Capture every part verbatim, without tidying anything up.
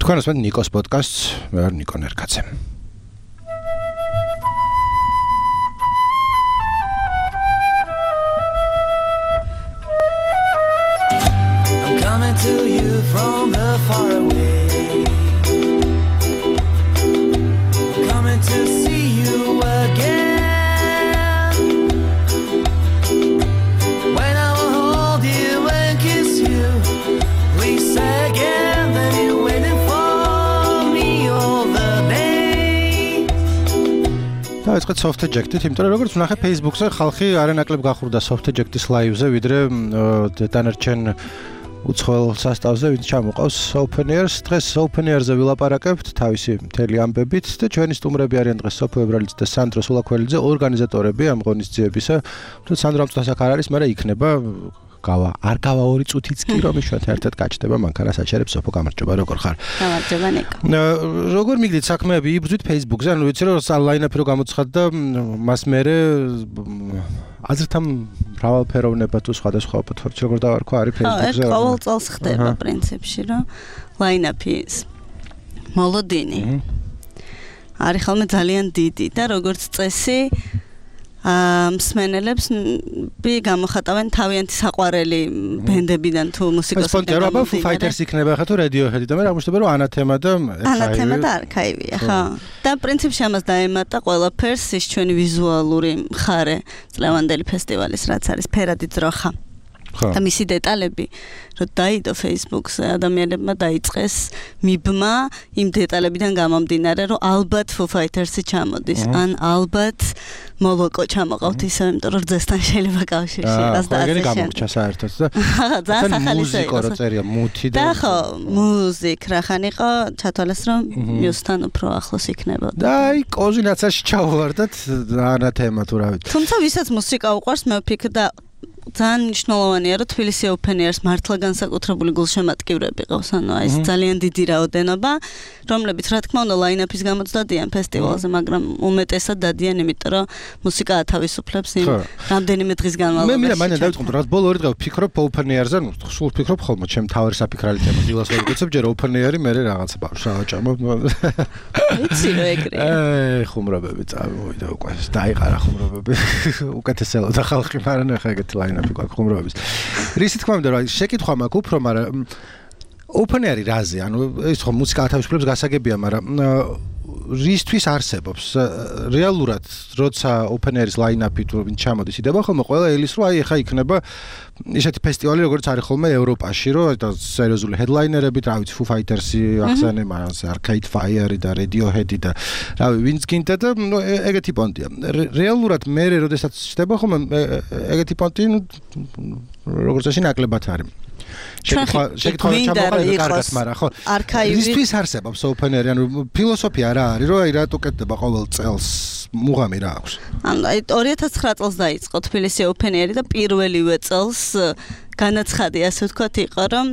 თქვენ ასმენთ ნიკოს პოდკასტს, მე ვარ ნიკო ნერკაძე. I'm coming to you from the far away. I'm coming to see you again. When I will hold you and kiss you, please say again that you're waiting for me all the day. დავიწყეთ soft eject-ით, იმიტომ რომ როგორც ვნახე Facebook-ზე ხალხი არანაკლებ გახურდა soft eject-ის live-ზე, ვიდრე დანარჩენ უცხოელ სასტავზე, ვინც ჩამოყავს Open Air-ს. დღეს Open Air-ზე ვილაპარაკებთ თავისი მთელი ამბებით და ჩვენი სტუმრები არიან დღეს სოფო ებრალიძე და სანდრო სულაქველიძე, ორგანიზატორები ამ ღონისძიებისა. თუმცა სანდრო ამ წუთას აქ არ არის, მაგრამ იქნება გავა. არ გავა ორი წუთიც კი რომ იშვათ ერთად გაჩნდება, მანქანას აჩერებს სოფო, გამარჯობა, როგორ ხარ? გამარჯობა ნიკო. როგორ მიგდით საქმეები? იბრძვით Facebook-ზე, ანუ ვიცი რომ line-up რო გამოცხადდა, მას მერე აზრთა მრავალფეროვნება თუ სხვადასხვა პლატფორმებში როგორ დავარქვა არის Facebook-ზე. ხო, ყოველ წელს ხდება პრინციპში, რომ line-up-ის მოლოდინი არის ხოლმე ძალიან დიდი და როგორც წესი მსმენელებს ბი გამოხატავენ თავიანთი საყვარელი ბენდებიდან თუ მუსიკოსებიდან. ეს Foo Fighters იქნება ხა თუ Radiohead და მე აღმოჩნდება რომ Anathema და Anathema და Archive-ია, ხო. და პრინციპში ამას დაემატა ყველაფერს ის ჩვენი ვიზუალური მხარე წლევანდელი ფესტივალის, რაც არის ფერადი ძროხა. და მისი დეტალები რომ დაიდო Facebook-ზე ადამიანებმა დაიწყეს მიბმა იმ დეტალებიდან გამომდინარე რომ ალბათ Foo Fighters-ი ჩამოდის ან ალბათ მოლოკო ჩამოყავთ ისე იმიტომ რომ ძესთან შეიძლება კავშირში იყოს და ასე გამორჩა საერთოდ და ძალიან ახალისა იყო რო წერია მუთი და ხო მუსიკ რახან იყო ჩათვალეს რომ მიუსთან უფრო ახლოს იქნებოდა და აი კოზინაცაში ჩავვარდათ Anathema თუ რა ვიცი თუმცა ვისაც მუსიკა უყვარს მე ვფიქრდა ძალიან მნიშვნელოვანია რომ თბილისი Open Air-ს მართლა განსაკუთრებული გულშემატკივრები ყავს, ანუ აი ეს ძალიან დიდი რაოდენობა, რომლებიც რა თქმა უნდა line-up-ის გამოც დადიან ფესტივალზე, მაგრამ უმეტესად დადიან, იმიტომ რომ მუსიკა ათავისუფლებს იმ რამდენიმე დღის განმავლობაში. მე მინდა მანე დავიწყო, რა ბოლო ორი დღე ვფიქრობ Open Air-ზე, ნუ სულ ვფიქრობ ხოლმე, ჩემ თავი საფიქრალი თემა, დილას ვერ ვიქცებ, ჯერ Open Air-ი, მე რაღაცა ბავშვს ავაჭამო. ვიცი რომ ეგრეა. აი, ხუმრობები წავიდა უკვე, დაიყარა ხუმრობები. უკეთესელოდა ხალხი, მაგრამ ახლა ეგეთი line-up გვაქვს ხუმრობების. რისი თქმა უნდა, რა შეკითხვა მაქვს უფრო, მაგრამ Open Air-ი რაზე? ანუ ეს ხო მუსიკა ათავისუფლებს გასაგებია, მაგრამ რისთვის არსებობს? რეალურად, როცა Open Air-ის line-up-ი თუ ვინ ჩამოდის, იდება ხოლმე ყველა ელის რომ აი ახლა იქნება ისეთი ფესტივალი, როგორც არის ხოლმე ევროპაში, რომ და სერიოზული headlinerებით, რა ვიცი, Foo Fighters-ი ახსენე, მაგრამ Arcade Fire-ი და Radiohead-ი და რა ვიცი, ვინც გინდა და ეგეთი პონტია. რეალურად მე როდესაც ხდება ხოლმე ეგეთი პონტი, ნუ როგორც წესი ნაკლებად არის. შეკითხვა შეკითხვა ჩამოყალიბდა კარგად, მაგრამ ხო რისთვის არსებობს Open Air-ი, ანუ ფილოსოფია რა არის, რომ აი რატო კეთდება ყოველ წელს მუღამი რა აქვს? ანუ აი ორი ათას ცხრა წელს დაიწყო თბილისი Open Air-ი და პირველივე წელს განაცხადი, ასე ვთქვათ, იყო რომ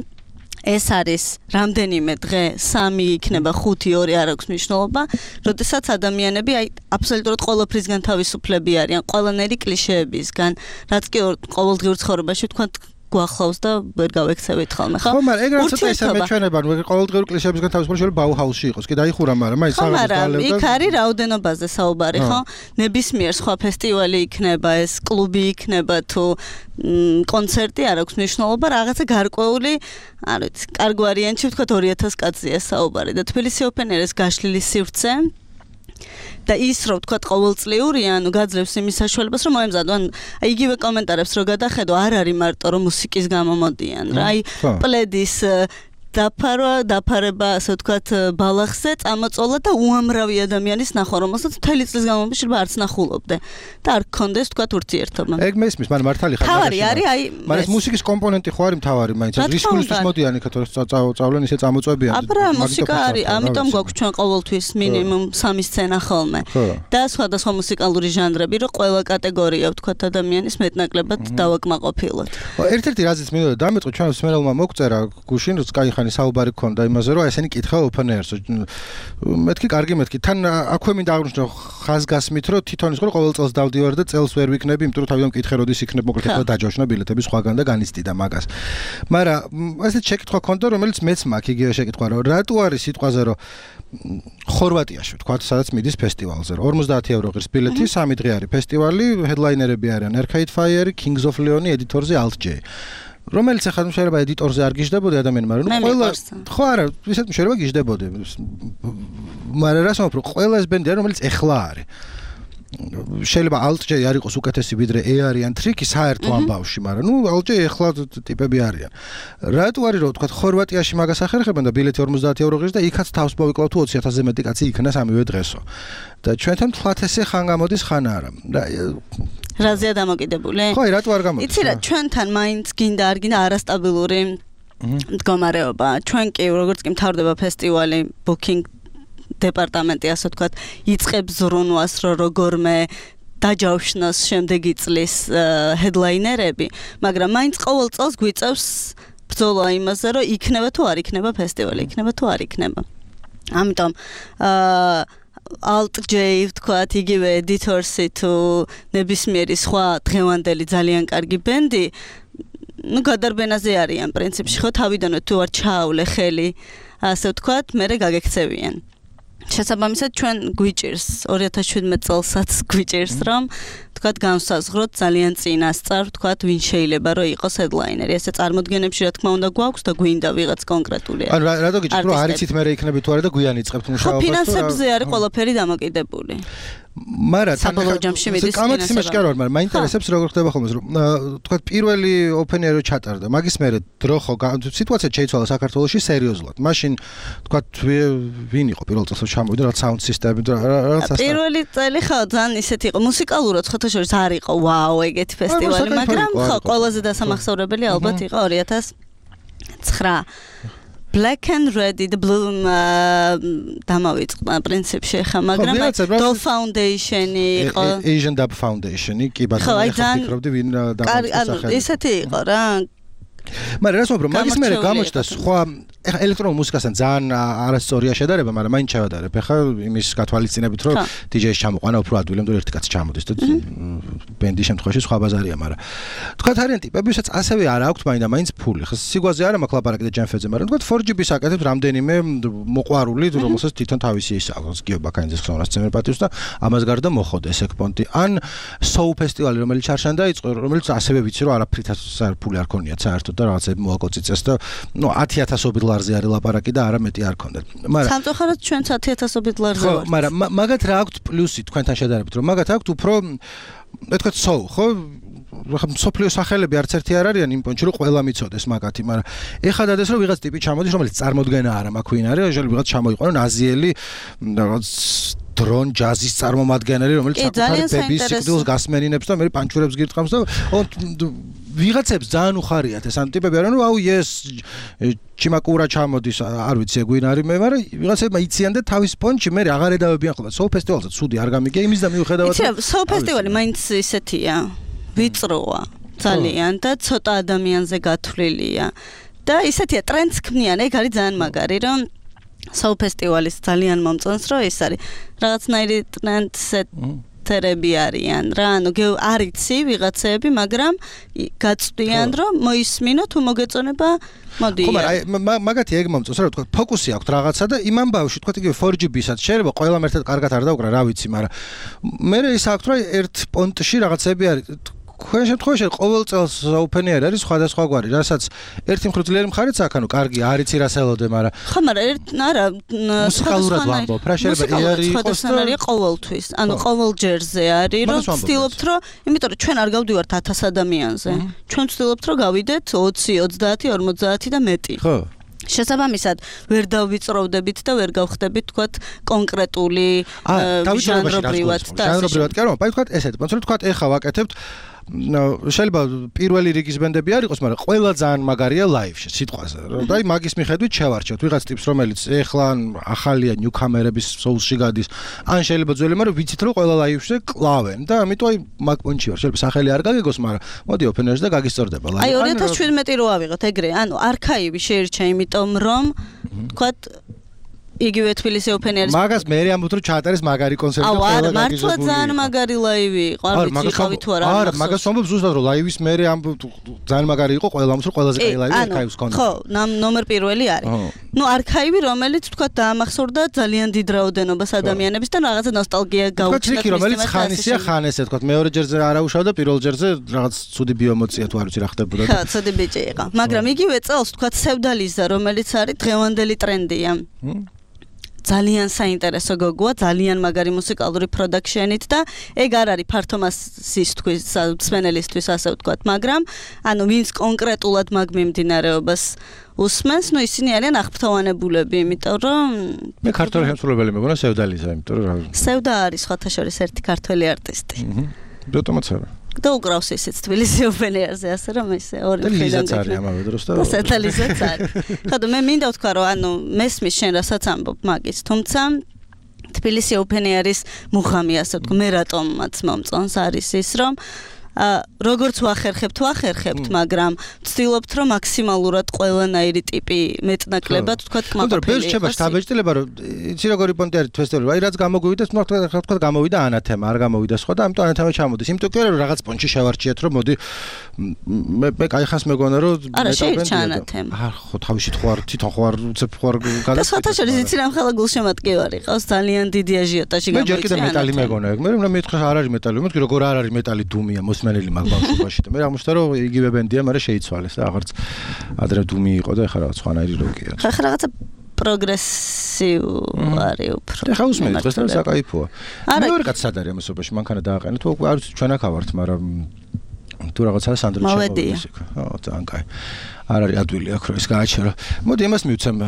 ეს არის რამდენიმე დღე, სამი იქნება, ხუთი, ორი არ აქვს მნიშვნელობა, როდესაც ადამიანები აი აბსოლუტურად ყველაფრისგან თავისუფლები არიან, ყველანაირი კლიშეებისგან, რაც კი ყოველდღიურ ცხოვრებაში ვთქვათ გვახლავს და ვერ გავექცევით ხოლმე, ხო? ხო, მაგრამ ეგ რაც ცოტა ისე მეჩვენება, ნუ ყოველდღიური კლიშეებისგან თავისუფალი შეიძლება Bauhaus-ში იყოს, კი დაიხურა, მაგრამ აი საღამოს გალევდა. იქ არის რაოდენობაზე საუბარი, ხო? ნებისმიერ სხვა ფესტივალი იქნება, ეს კლუბი იქნება თუ კონცერტი არ აქვს მნიშვნელობა, რაღაცა გარკვეული, არ ვიცი, კარგ ვარიანტში ვთქვათ ორი ათას კაცზეა საუბარი და თბილისი Open Air-ის გაშლილი სივრცე და ის რო ვთქვათ ყოველწლიურია, ანუ გაძლევს იმის საშუალებას, რომ მოემზადო, ან იგივე კომენტარებს რო გადახედო, არ არის მარტო რომ მუსიკის გამო მოდიან, რა, აი პლედის დაფარვა, დაფარება, ასე ვთქვათ, ბალახზე წამოწოლა და უამრავი ადამიანის ნახვა, რომელსაც მთელი წლის განმავლობაში არც ნახულობდე და არ გქონდეს, ვთქვათ, ურთიერთობა. ეგ მესმის, მაგრამ მართალი ხარ. თავარი არის, აი, მაგრამ ეს მუსიკის კომპონენტი ხო არის მთავარი, მაინც რისკულისთვის მოდიან იქა თუ წავლენ ისე წამოწვევიან. აბა მუსიკა არის, ამიტომ გვაქვს ჩვენ ყოველთვის მინიმუმ სამი სცენა ხოლმე. და სხვადასხვა მუსიკალური ჟანრები, რომ ყველა კატეგორია, ვთქვათ, ადამიანის მეტნაკლებად დავაკმაყოფილოთ. ერთ-ერთი რაზეც მინდოდა დამეწყო ჩვენ მსმენელმა მოგწერა გუშინ, რომ კაი ხანი საუბარი გქონდა იმაზე, რომ ესენი კითხა open air-ს. მეთქი კარგი მეთქი. თან აქვე მინდა აღნიშნო ხაზგასმით, რომ თვითონ ის ყოველ წელს დავდივარ და წელს ვერ ვიქნები, იმიტომ რომ თავიდან მკითხე როდის იქნებ, მოკლედ ახლა დაჯავშნა ბილეთები სხვაგან და განიცდიდა მაგას. მაგრამ ესეთ შეკითხვა გქონდა, რომელიც მეც მაქვს იგივე შეკითხვა, რომ რატო არის სიტყვაზე, რომ ხორვატიაში ვთქვათ, სადაც მიდის ფესტივალზე. ორმოცდაათი ევრო ღირს ბილეთი, სამი დღე არის ფესტივალი, headlinerები არიან Arcade Fire, Kings of Leon, ედიტორზე Alt J. რომელიც ახლა შეიძლება ედიტორზე არ გიждდებოდი ადამიანმა, მაგრამ ყველა ხო არა, ისეთ შეიძლება გიждდებოდი. მაგრამ რას ვამბობ, რომ ყველა ეს ბენდი არის, რომელიც ეხლა არის. შეიძლება Alt J არ იყოს უკეთესი ვიდრე E არიან Tricky საერთო ამბავში, მაგრამ ნუ Alt J ეხლა ტიპები არიან. რატო არის რომ თქვა ხორვატიაში მაგას ახერხებენ და ბილეთი ორმოცდაათი ევრო ღირს და იქაც თავს მოვიკლავ თუ ოცი ათასზე მეტი კაცი იქნა სამივე დღესო. და ჩვენთან თქვათ ესე ხან გამოდის ხან არა. რაზეა დამოკიდებული? ხო, რატო არ გამოდის? იცი რა, ჩვენთან მაინც გინდა არ გინდა არასტაბილური მდგომარეობა. ჩვენ კი როგორც კი მთავრდება ფესტივალი booking დეპარტამენტი ასე ვთქვათ, იწყებს ზრუნვას, რომ როგორმე დაჯავშნოს შემდეგი წლის headlinerები, მაგრამ მაინც ყოველ წელს გვიწევს ბრძოლა იმაზე, რომ იქნება თუ არ იქნება ფესტივალი, იქნება თუ არ იქნება. ამიტომ აა Alt J ვთქვათ, იგივე Editors-ი თუ ნებისმიერი სხვა დღევანდელი ძალიან კარგი ბენდი, ну გადარბენაზე არიან პრინციპში, ხო თავიდანვე თუ არ ჩაავლე ხელი, ასე ვთქვათ, მერე გაგექცევიან. შესაბამისად ჩვენ გვიჭირს ორი ათას შვიდმეტ წელსაც გვიჭირს რომ თქვათ განსაზღვროთ ძალიან წინასწარ თქვათ ვინ შეიძლება რომ იყოს headliner-ი ესე წარმოდგენებში რა თქმა უნდა გვაქვს და გვინდა ვიღაც კონკრეტული ანუ რატო გიჭირთ რომ არ იცით მე იქნები თუ არა და გვიან იწყებთ მუშაობას ფინანსებზე არის ყველაფერი დამოკიდებული მაგრამ საბოლოო ჯამში მიდის კამათი მაშკარ ვარ მაგრამ მაინტერესებს როგორ ხდება ხოლმე რომ თქვათ პირველი open air-ი ჩატარდა მაგის მერე დრო ხო სიტუაცია შეიცვალა საქართველოში სერიოზულად მაშინ თქვათ ვინ იყო პირველ წელს ჩამოვიდა რა sound system-ი და რაღაცა პირველი წელი ხო ძალიან ისეთი იყო მუსიკალურად ხოთა შორის არ იყო ვაუ ეგეთი ფესტივალი მაგრამ ხო ყველაზე დასამახსოვრებელი ალბათ იყო ორი ათას ცხრა Black and Red the Blue დამავიწყდა პრინციპში ხა მაგრამ Doll Foundation-ი იყო Asian Dub Foundation-ი კი ბატონო ხა ფიქრობდი ვინ დამავიწყდა ანუ ისეთი იყო რა მაგრამ რას ვამბობ მაგის მერე გამოჩნდა სხვა ეხა ელექტრონულ მუსიკასთან ძალიან არასწორია შედარება მაგრამ მაინც ჩავადარებ ეხა იმის გათვალისწინებით რომ დიჯეის ჩამოყვანა უფრო ადვილად რომ ერთი კაცი ჩამოდის და ბენდის შემთხვევაში სხვა ბაზარია მაგრამ თქვათ არიან ტიპები ვისაც ასევე არ აქვთ მაინდა მაინც ფული ხა სიგვაზე არა მაქვს ლაპარაკი და ჯანფეზე მაგრამ თქვათ four G B-ს აკეთებს რამდენიმე მოყვარული რომელსაც თვითონ თავისი ის აქვს გიო ბაკანიძის ხსოვნას წემერ პატივს და ამას გარდა მოხოდეს ეკპონტი ან Soul ფესტივალი რომელიც ჩარშან დაიწყო რომელიც ასევე ვიცი რომ არაფრითაც ფული არ ქონიათ საერთოდ და რაღაცები მოაკოციწეს და ნუ ათი ათასობით ლარზე არის ლაპარაკი და არა მეტი არ ქონდათ. მაგრამ სამწუხაროდ ჩვენც ათი ათასობით ლარზე ვართ. ხო, მაგრამ მაგათ რა აქვთ პლუსი თქვენთან შედარებით, რომ მაგათ აქვთ უფრო ეთქვათ soul, ხო? ხა სოფლიო სახელები არც ერთი არ არიან იმ პონჩი რომ ყველა მიცოდეს მაგათი, მაგრამ ეხლა დადეს რომ ვიღაც ტიპი ჩამოდის, რომელიც წარმოდგენა არა მაქვს ვინ არის, შეიძლება ვიღაც ჩამოიყვანონ აზიელი რაღაც დრონ ჯაზის წარმომადგენელი, რომელიც საკუთარი ბების სიკვდილს გასმენინებს და მე პანჩურებს გირტყამს და ვიღაცებს ძალიან უხარიათ ეს ან ტიპები არიან, რომ აუ yes ჩიმაკურა ჩამოდის, არ ვიცი ეგ ვინ არის მე, მაგრამ ვიღაცებმა იციან და თავის პონჩი მე აღარ εδავებიან ხოლმე. Soul Festival-ზე ცუდი არ გამიგია იმის და მიუხედავად იცი Soul Festival-ი მაინც ისეთია, ვიწროა ძალიან და ცოტა ადამიანზე გათვლილია და ისეთია ტრენდს ქმნიან, ეგ არის ძალიან მაგარი, რომ Soul Festival-ის ძალიან მომწონს, რომ ეს არის რაღაცნაირი ტრენდსეტერები არიან რა, ანუ არ იცი ვიღაცები, მაგრამ გაწვდიან, რომ მოისმინო თუ მოგეწონება მოდი. ხო, მაგრამ მაგათი ეგ მომწონს, რა თქვა, ფოკუსი აქვს რაღაცა და იმ ამბავში თქვა იგივე four G B-საც შეიძლება ყველამ ერთად კარგად არ დაუკრა, რა ვიცი, მაგრამ მე ის აქვს, რომ ერთ პონტში რაღაცები არის თქვენ შემთხვევაში ყოველ წელს open air არის სხვადასხვაგვარი, რასაც ერთი მხრივ მხარეც აქ, ანუ კარგი არიცი რას ელოდე, მაგრამ ხო, მაგრამ ერთ არა მუსიკალურად ვამბობ, რა შეიძლება ეარი იყოს და ყოველთვის, ანუ ყოველ ჯერზე არის, რომ ვცდილობთ, რომ იმიტომ რომ ჩვენ არ გავდივართ ათას ადამიანზე. ჩვენ ვცდილობთ, რომ გავიდეთ ოცი, ოცდაათი, ორმოცდაათი და მეტი. ხო. შესაბამისად, ვერ დავვიწროვდებით და ვერ გავხდებით, თქვათ, კონკრეტული ჟანრობრივად და ჟანრობრივად კი არა, მაგრამ თქვათ ესეთ, მაგრამ თქვათ ეხა ვაკეთებთ შეიძლება პირველი რიგის ბენდები არ იყოს, მაგრამ ყველა ძალიან მაგარია ლაივში, სიტყვაზე. და აი მაგის მიხედვით შევარჩევთ ვიღაც ტიპს, რომელიც ეხლა ახალია ნიუკამერების სოულში გადის, ან შეიძლება ძველი, მაგრამ ვიცით რომ ყველა ლაივში კლავენ და ამიტომ აი მაგ პონჩი ვარ. შეიძლება სახელი არ გაგეგოს, მაგრამ მოდი ოფენერს და გაგისწორდება ლაივი. აი ორი ათას შვიდმეტი რო ავიღოთ ეგრე, ანუ არქაივი შეირჩა, იმიტომ რომ თქვათ იგივე თბილისი ოფენერის მაგას მე ამბობთ რომ ჩაატარეს მაგარი კონცერტი და ყველა გაგიზებული. არა, მართლა ძალიან მაგარი ლაივი იყო, არ ვიცი ყავი თუ არა. არა, მაგას ამბობ ზუსტად რომ ლაივის მე ამბობ ძალიან მაგარი იყო, ყველა ამბობს რომ ყველაზე კაი ლაივი არქაივს ქონდა. ხო, ნომერ პირველი არის. ნუ არქაივი რომელიც თქვა დაამახსოვრდა ძალიან დიდ რაოდენობას ადამიანების და რაღაცა ნოსტალგია გაუჩნდა. თქვა რომელიც ხანისია ხან ესე თქვა მეორე ჯერზე არ აუშავდა, პირველ ჯერზე რაღაც ცუდი ბიომოწია თუ არ ვიცი რა ხდებოდა. ხო, ცუდი ბიჭი იყო. მაგრამ იგივე წელს თქვა სევდალიზა რომელიც არის დღევანდელი ტრენდია. ძალიან საინტერესო გოგოა, ძალიან მაგარი მუსიკალური პროდაქშენით და ეგ არ არის ფართო მასისთვის, მსმენელისთვის ასე ვთქვათ, მაგრამ ანუ ვინც კონკრეტულად მაგ მიმდინარეობას უსმენს, ნუ ისინი არიან აღფრთოვანებულები, იმიტომ რომ მე ქართველი შემსრულებელი მეგონა სევდალიზა, იმიტომ რომ რა სევდა არის სხვათა შორის ერთი ქართველი არტისტი. აჰა. რატომაც არა. და უკრავს ისიც თბილისი ოფენერზე, ასე რომ ესე ორი მხრიდან არის ამავე დროს და სათალიზეც არის. ხოდა მე მინდა ვთქვა რომ ანუ მესმის შენ რასაც ამბობ მაგის, თუმცა თბილისი ოფენერის მუხამი ასე ვთქვა, მე რატომაც მომწონს არის ის რომ როგორც ვახერხებთ, ვახერხებთ, მაგრამ ვცდილობთ რომ მაქსიმალურად ყველანაირი ტიპი მეტნაკლებად ვთქვათ კმაყოფილი. მაგრამ ბევრს შეება შთაბეჭდილება რომ იცი როგორი პონტი არის ფესტივალი, აი რაც გამოგვივიდა, თქო თქვა გამოვიდა ანათემა, არ გამოვიდა სხვა და ამიტომ ანათემა ჩამოდის. იმიტომ კი რომ რაღაც პონჩი შევარჩიეთ რომ მოდი მე მე кай ხას მეგონა რომ არა შეირჩა ანათემა. აა ხო თავისით ხო არ თვითონ ხო არ უცებ ხო არ გადა. და სხვათა შორის იცი რამ ხალა გულშემატკივარი ყავს ძალიან დიდი აჟიოტაჟი გამოიწვია. მე ჯერ კიდე მეტალი მეგონა ეგ, მე რომ მეთქე არ არის მეტალი, მეთქე როგორ არ არის მეტალი დუმია მოსმენელი მაგ ბავშვობაში და მე აღმოჩნდა რომ იგივე ბენდია, მაგრამ შეიცვალეს და აღარც ადრე დუმი იყო და ეხლა რაღაც სხვანაირი როკია. ხა რაღაცა პროგრესივარი უფრო. ეხლა უსმენთ დღეს რა საკაიფოა. მე ვერ კაცად არის ამასობაში, მანქანა დააყენე თუ არ ვიცი ჩვენ აქ ავართ, მაგრამ თუ რაღაცა სანდრო შემოვიდეს. ხო, ძალიან კაი. არ არის ადვილი აქ რომ ის გააჩერო. მოდი იმას მივცემ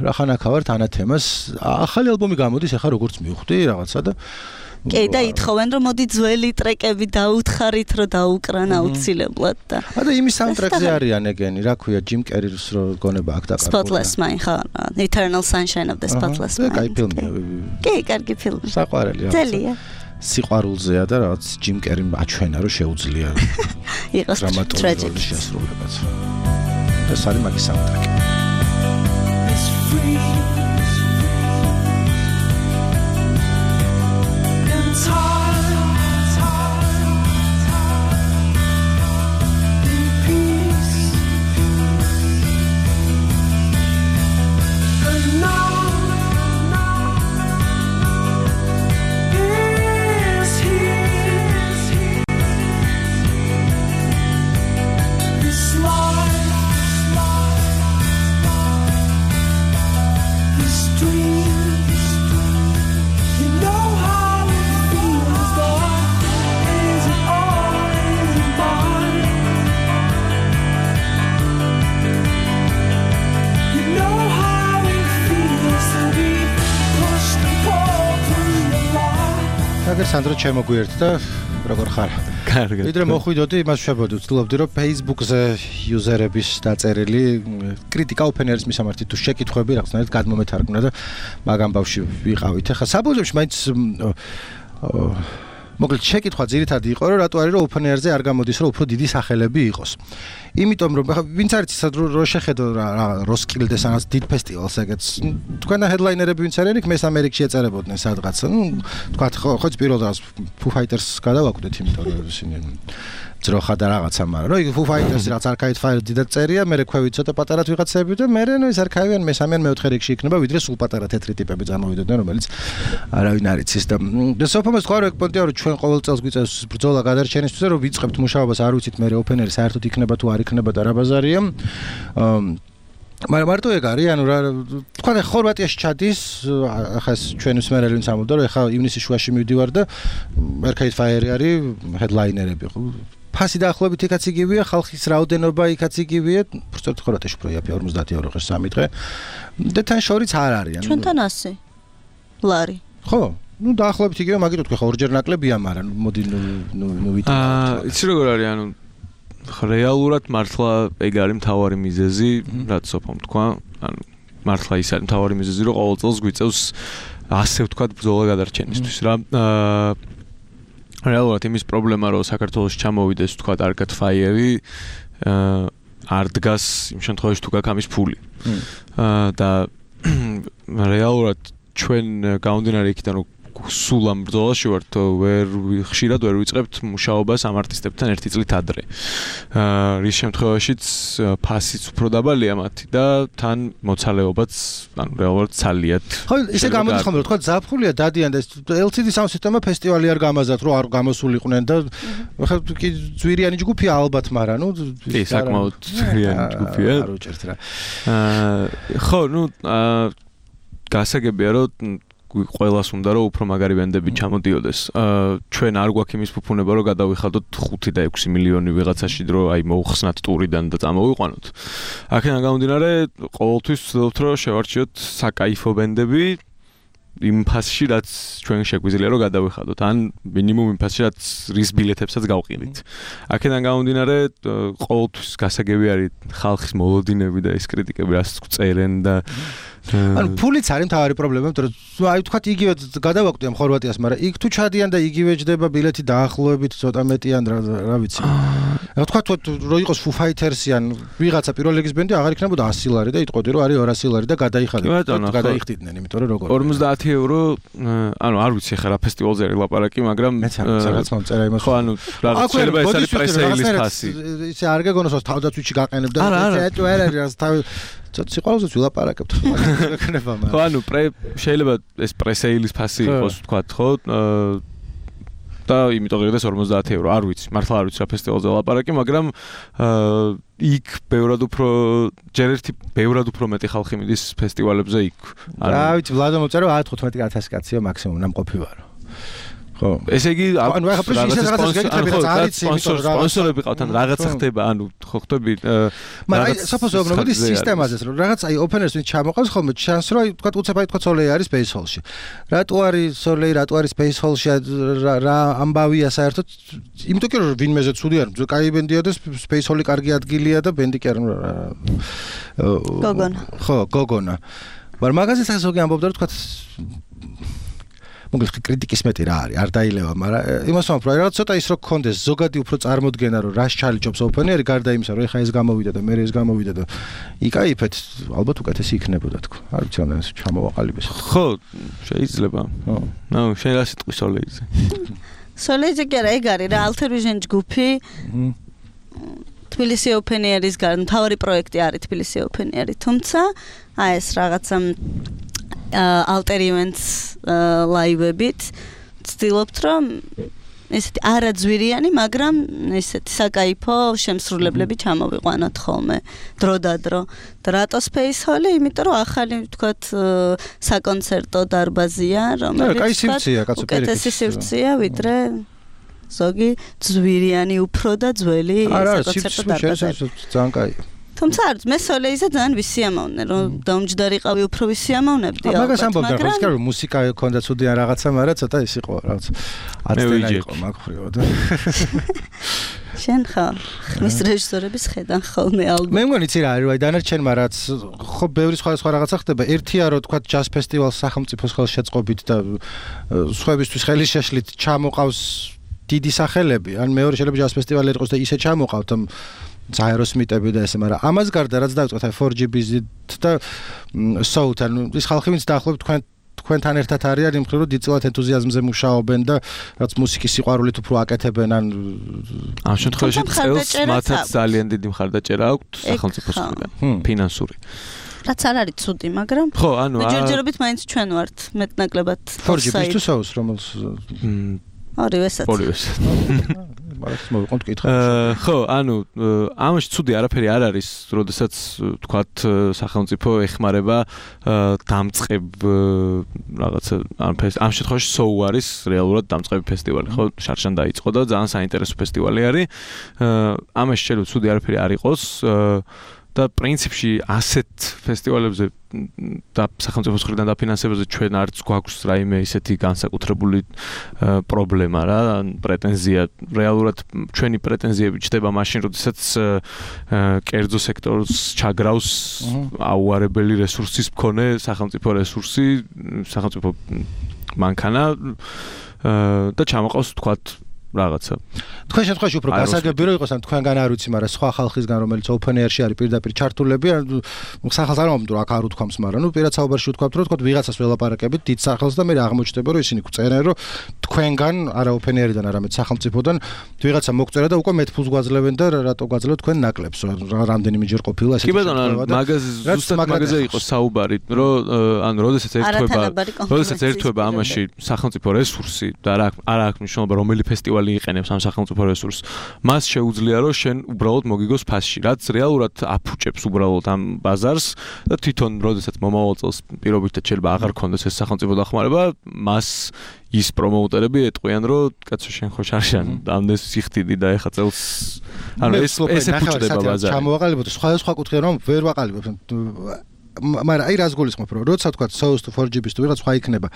რა ხან აქ ავართ ანათემას. ახალი ალბომი გამოდის ეხლა როგორც მივხვდი რაღაცა და კი და ითხოვენ რომ მოდი ძველი ტრეკები დაუთხარით რომ დაუკრან აუცილებლად და ა და იმის საუნდტრეკზე არიან ეგენი რა ქვია ჯიმ კერის რო გონება აქ დაყარდა Spotless Mind ხო Eternal Sunshine of the Spotless Mind კაი ფილმია კი კარგი ფილმი საყვარელი ძელია სიყვარულზეა და რაღაც ჯიმ კერიმ აჩვენა რომ შეუძლია იყოს ტრაგედია შესრულებაც და სარი მაგის საუნდტრეკი სანდრო შემოგვიერთდა როგორ ხარ? კარგი. ვიდრე მოხვიდოდი იმას ვშებოდი, ვცდილობდი რომ Facebook-ზე იუზერების დაწერილი კრიტიკა ოფენერის მისამართი თუ შეკითხვები რაღაცნაირად გადმომეთარგმნა და მაგ ამბავში ვიყავით. ახლა საბუზებში მაინც მოკლედ შეკითხვა ძირითადი იყო რომ რატო არის რომ ოფენერზე არ გამოდის რომ უფრო დიდი სახელები იყოს. იმიტომ რომ ახლა ვინც არის ისე რომ შეხედო რა როსკილდეს ანაც დიდ ფესტივალს ეგეც თქვენ ჰედლაინერები ვინც არიან იქ მეს ამერიკაში ეწერებოდნენ სადღაც ნუ თქვა ხო ხო პირველ დღეს Foo Fighters გადავაკვდეთ იმიტომ რომ ისინი ძროხა და რაღაცა მაგრამ რომ იქ Foo Fighters რაც Arcade Fire დიდად წერია მე რექვევით ცოტა პატარა ვიღაცები და მე ნუ ის არქაივიან მესამე ან მეოთხე რიგში იქნება ვიდრე სულ პატარა თეთრი ტიპები წამოვიდოდნენ რომელიც არავინ არ იცის და და სოფომეს თქვა რომ პონტია რომ ჩვენ ყოველ წელს გვიწევს ბრძოლა გადარჩენისთვის რომ ვიწყებთ მუშაობას არ ვიცით მე ოფენერი საერთოდ იქნება თუ არ იქნება და რა ბაზარია მაგრამ მარტო ეგ არის ანუ რა თქვა და ხორვატიაში ჩადის ახლა ჩვენ მსმენელი ვინც ამბობდა რომ ახლა ივნისის შუაში მივდივარ და Arcade Fire არის ჰედლაინერები ხო ფასი დაახლოებით იქაც იგივეა ხალხის რაოდენობა იქაც იგივეა უბრალოდ ხორვატიაში უფრო იაფია ორმოცდაათი ევრო ღირს სამი დღე და თან შორიც არ არის ანუ ჩვენთან ასი ლარი ხო ну დაახლოებით იგივე, მაგით თქვი ხო, ორჯერ ნაკლებია, მაგრამ მოდი ნუ ნუ ნუ ვიტყვი. აა, იცი როგორ არის, ანუ რეალურად მართლა ეგ არის მთავარი მიზეზი, რაც სოფომ თქვა, ანუ მართლა ის არის მთავარი მიზეზი, რომ ყოველ წელს გვიწევს ასე ვთქვათ ბრძოლა გადარჩენისთვის რა. აა რეალურად იმის პრობლემა, რომ საქართველოს ჩამოვიდეს ვთქვათ Arcade Fire-ი, აა არ დგას იმ შემთხვევაში თუ გაქვს ამის ფული. აა და რეალურად ჩვენ გამომდინარე იქიდან რომ სულ ამ ბრძოლაში ვართ, ვერ ხშირად ვერ ვიწყებთ მუშაობას ამ არტისტებთან ერთი წლით ადრე. აა რის შემთხვევაშიც ფასიც უფრო დაბალია მათი და თან მოცალეობაც ანუ რეალურად ცალიათ. ხო, ისე გამოდის ხოლმე, თქვა ზაფხულია დადიან და ელ სი დი Sound System-მა ფესტივალი არ გამაზათ, რომ არ გამოსულიყვნენ და ხა კი ძვირიანი ჯგუფია ალბათ, მაგრამ ნუ კი, საკმაოდ ძვირიანი ჯგუფია. არ უჭერთ რა. აა ხო, ნუ აა გასაგებია რომ ყველას უნდა რომ უფრო მაგარი ბენდები ჩამოდიოდეს. აა ჩვენ არ გვაქვს იმის ფუფუნება რომ გადავიხადოთ ხუთი და ექვსი მილიონი ვიღაცაში რომ აი მოუხსნათ ტურიდან და წამოვიყვანოთ. აქედან გამომდინარე ყოველთვის ვცდილობთ რომ შევარჩიოთ საკაიფო ბენდები იმ ფასში რაც ჩვენ შეგვიძლია რომ გადავიხადოთ ან მინიმუმ იმ ფასში რაც რის ბილეთებსაც გავყიდით. აქედან გამომდინარე ყოველთვის გასაგები არის ხალხის მოლოდინები და ეს კრიტიკები რაც წერენ და ანუ ფულიც არის მთავარი პრობლემა, იმიტომ რომ აი თქვათ იგივე გადავაკვდიან ხორვატიას, მაგრამ იქ თუ ჩადიან და იგივე ჯდება ბილეთი დაახლოებით ცოტა მეტიან რა რა ვიცი. რა თქვათ რომ იყოს Foo Fighters-ი ან ვიღაცა პირველ ლიგის ბენდი აღარ იქნებოდა ასი ლარი და იტყოდი რომ არის ორასი ლარი და გადაიხადნენ. გადაიხდიდნენ, იმიტომ რომ როგორ ორმოცდაათი ევრო, ანუ არ ვიცი ხა რა ფესტივალზე არის ლაპარაკი, მაგრამ მეც არ ვიცი რაღაც მომწერა იმას. ხო, ანუ რაღაც შეიძლება ეს არის პრესეილის ფასი. ისე არ გეგონოს რომ თავდაცვითი გაყენებ და ეტო არ არის თავი ცოტა სიყვარულზეც ვილაპარაკებთ მაგანება მაგრამ ხო ანუ შეიძლება ეს პრესეილის ფასი იყოს თქვა ხო და იმიტომ ღირდეს ორმოცდაათი ევრო არ ვიცი მართლა არ ვიცი რა ფესტივალზე ლაპარაკი მაგრამ იქ ბევრად უფრო ჯერ ერთი ბევრად უფრო მეტი ხალხი მიდის ფესტივალებზე იქ რა ვიცი ვლადო მოწერო ათი ათასი კაცია მაქსიმუმ ნამყოფი ვარო ხო ესე იგი ანუ ახლა პრესის რაღაცას გეკითხები რა არის იმიტომ რომ სპონსორები ყავთ ან რაღაცა ხდება ანუ ხო ხტები მაგრამ საფოსო მოდი სისტემაზეც რომ რაღაც აი ოპენერს ვინც ჩამოყავს ხოლმე ჩანს რომ აი თქვა უცებ აი თქვა სოლეი არის Space Hall-ში რატო არის სოლეი რატო არის Space Hall-ში რა ამბავია საერთოდ იმიტომ რომ ვინმეზე ცუდი არ კაი ბენდია და Space Hall-ი კარგი ადგილია და ბენდი კი არ გოგონა ხო გოგონა მაგრამ მაგაზეც ასოგი ამბობდა რომ თქვა მოგიხი კრიტიკის მეტი რა არის არ დაილევა მაგრამ იმას ვამბობ რომ რაღაც ცოტა ის რო გქონდეს ზოგადი უფრო წარმოდგენა რომ რას ჩალიჯობს ოპენერი გარდა იმისა რომ ეხა ეს გამოვიდა და მე ეს გამოვიდა და იკაიფეთ ალბათ უკეთესი იქნებოდა თქო არ ვიცი ან ეს ჩამოვაყალიბეს ხო შეიძლება ხო ნუ შენ რა სიტყვის სოლეიზე სოლეიზე კი არა ეგ არის რა Alter Vision ჯგუფი თბილისი ოპენერის გარ მთავარი პროექტი არის თბილისი ოპენერი თუმცა აი ეს რაღაცა Alter Events live-ებით ვცდილობთ რომ ესეთი არაძვირიანი, მაგრამ ესეთი საკაიფო შემსრულებლები ჩამოვიყვანოთ ხოლმე დროდადრო. და რატო Space Hall-ი? იმიტომ რომ ახალი ვთქვათ საკონცერტო დარბაზია, რომელიც უკეთესი სივრცეა, ვიდრე ზოგი ძვირიანი უფრო და ძველი საკონცერტო დარბაზები. ძალიან კაია. თუმცა არ მე სოლეიზე ძალიან ვისიამოვნე რომ დაუმჯდარიყავი უფრო ვისიამოვნებდი ალბათ მაგას ამბობ და ხო რომ მუსიკა ქონდა ცუდი ან რაღაცა მაგრამ ცოტა ის იყო რაღაც აცდენა იყო მაგხრივო და შენ ხო მის რეჟისორების ხედან ხოლმე ალბათ მე მგონი იცი რა არის აი დანარჩენმა რაც ხო ბევრი სხვადასხვა რაღაცა ხდება ერთია რომ თქვა ჯაზ ფესტივალს სახელმწიფოს ხელშეწყობით და სხვაებისთვის ხელის შეშლით ჩამოყავს დიდი სახელები ან მეორე შეიძლება ჯაზ ფესტივალი იყოს და ისე ჩამოყავთ Aerosmith-ები და ესე, მაგრამ ამას გარდა რაც დავიწყოთ აი four G B-ით და Soul-თან, ის ხალხი ვინც დაახლოებით თქვენ თქვენთან ერთად არიან იმ მხრივ რომ დიდწილად ენთუზიაზმზე მუშაობენ და რაც მუსიკის სიყვარულით უფრო აკეთებენ ან ამ შემთხვევაში წელს მათაც ძალიან დიდი მხარდაჭერა აქვთ სახელმწიფოს მხრიდან, ფინანსური. რაც არ არის ცუდი, მაგრამ ხო, ანუ ჯერჯერობით მაინც ჩვენ ვართ მეტნაკლებად four G B-ს თუ Soul-ს რომელს ორივესაც. ორივესაც. მაგრამ მოვიყავთ კითხვა. ხო, ანუ ამაში ცუდი არაფერი არ არის, როდესაც თქვათ სახელმწიფო ეხმარება დამწყებ რაღაცა ამ შემთხვევაში Soul არის რეალურად დამწყები ფესტივალი, ხო? შარშან დაიწყო და ძალიან საინტერესო ფესტივალი არის. ამაში შეიძლება ცუდი არაფერი არ იყოს. და პრინციპში ასეთ ფესტივალებზე და სახელმწიფოს მხრიდან დაფინანსებაზე ჩვენ არც გვაქვს რაიმე ისეთი განსაკუთრებული პრობლემა რა, ან პრეტენზია. რეალურად ჩვენი პრეტენზიები ჩდება მაშინ, როდესაც კერძო სექტორს ჩაგრავს აუარებელი რესურსის მქონე სახელმწიფო რესურსი, სახელმწიფო მანქანა და ჩამოყავს თქვათ რაღაცა. თქვენ შემთხვევაში უფრო გასაგები რო იყოს, ან თქვენგან არ ვიცი, მაგრამ სხვა ხალხისგან, რომელიც open air-ში არის პირდაპირ ჩართულები, სახელს არ მომდრო აქ არ უთქვამს, მაგრამ ნუ პირად საუბარში უთქვამთ, რომ თქვათ ვიღაცას ველაპარაკებით დიდ სახელს და მე აღმოჩნდება, რომ ისინი გვწერენ, რომ თქვენგან არა open air-დან, არამედ სახელმწიფოდან ვიღაცა მოგწერა და უკვე მეტ ფულს გვაძლევენ და რატო გვაძლევთ თქვენ ნაკლებს, რამდენიმეჯერ ყოფილა ესეთი. კი ბატონო, მაგაზე ზუსტად მაგაზე იყო საუბარი, რომ ანუ როდესაც ერთვება, როდესაც ერთვება ამაში სახელმწიფო რესურსი და არა არა აქვს მნიშვნელობა რომელი ფესტივალი იყენებს ამ სახელმწიფო რესურსს. მას შეუძლია რომ შენ უბრალოდ მოგიგოს ფასში, რაც რეალურად აფუჭებს უბრალოდ ამ ბაზარს და თვითონ როდესაც მომავალ წელს პირობითად შეიძლება აღარ ქონდეს ეს სახელმწიფო დახმარება, მას ის პრომოუტერები ეტყვიან რომ კაცო შენ ხო შარშან ამდენს სიხდიდი და ეხა წელს ანუ ეს ეს ეფუჭდება ბაზარი. ჩამოვაყალიბოთ სხვა სხვა კუთხე რომ ვერ ვაყალიბებ. მაგრამ აი რას გულისხმობ რომ როცა თქვა Source to four G B-ს თუ ვიღაც სხვა იქნება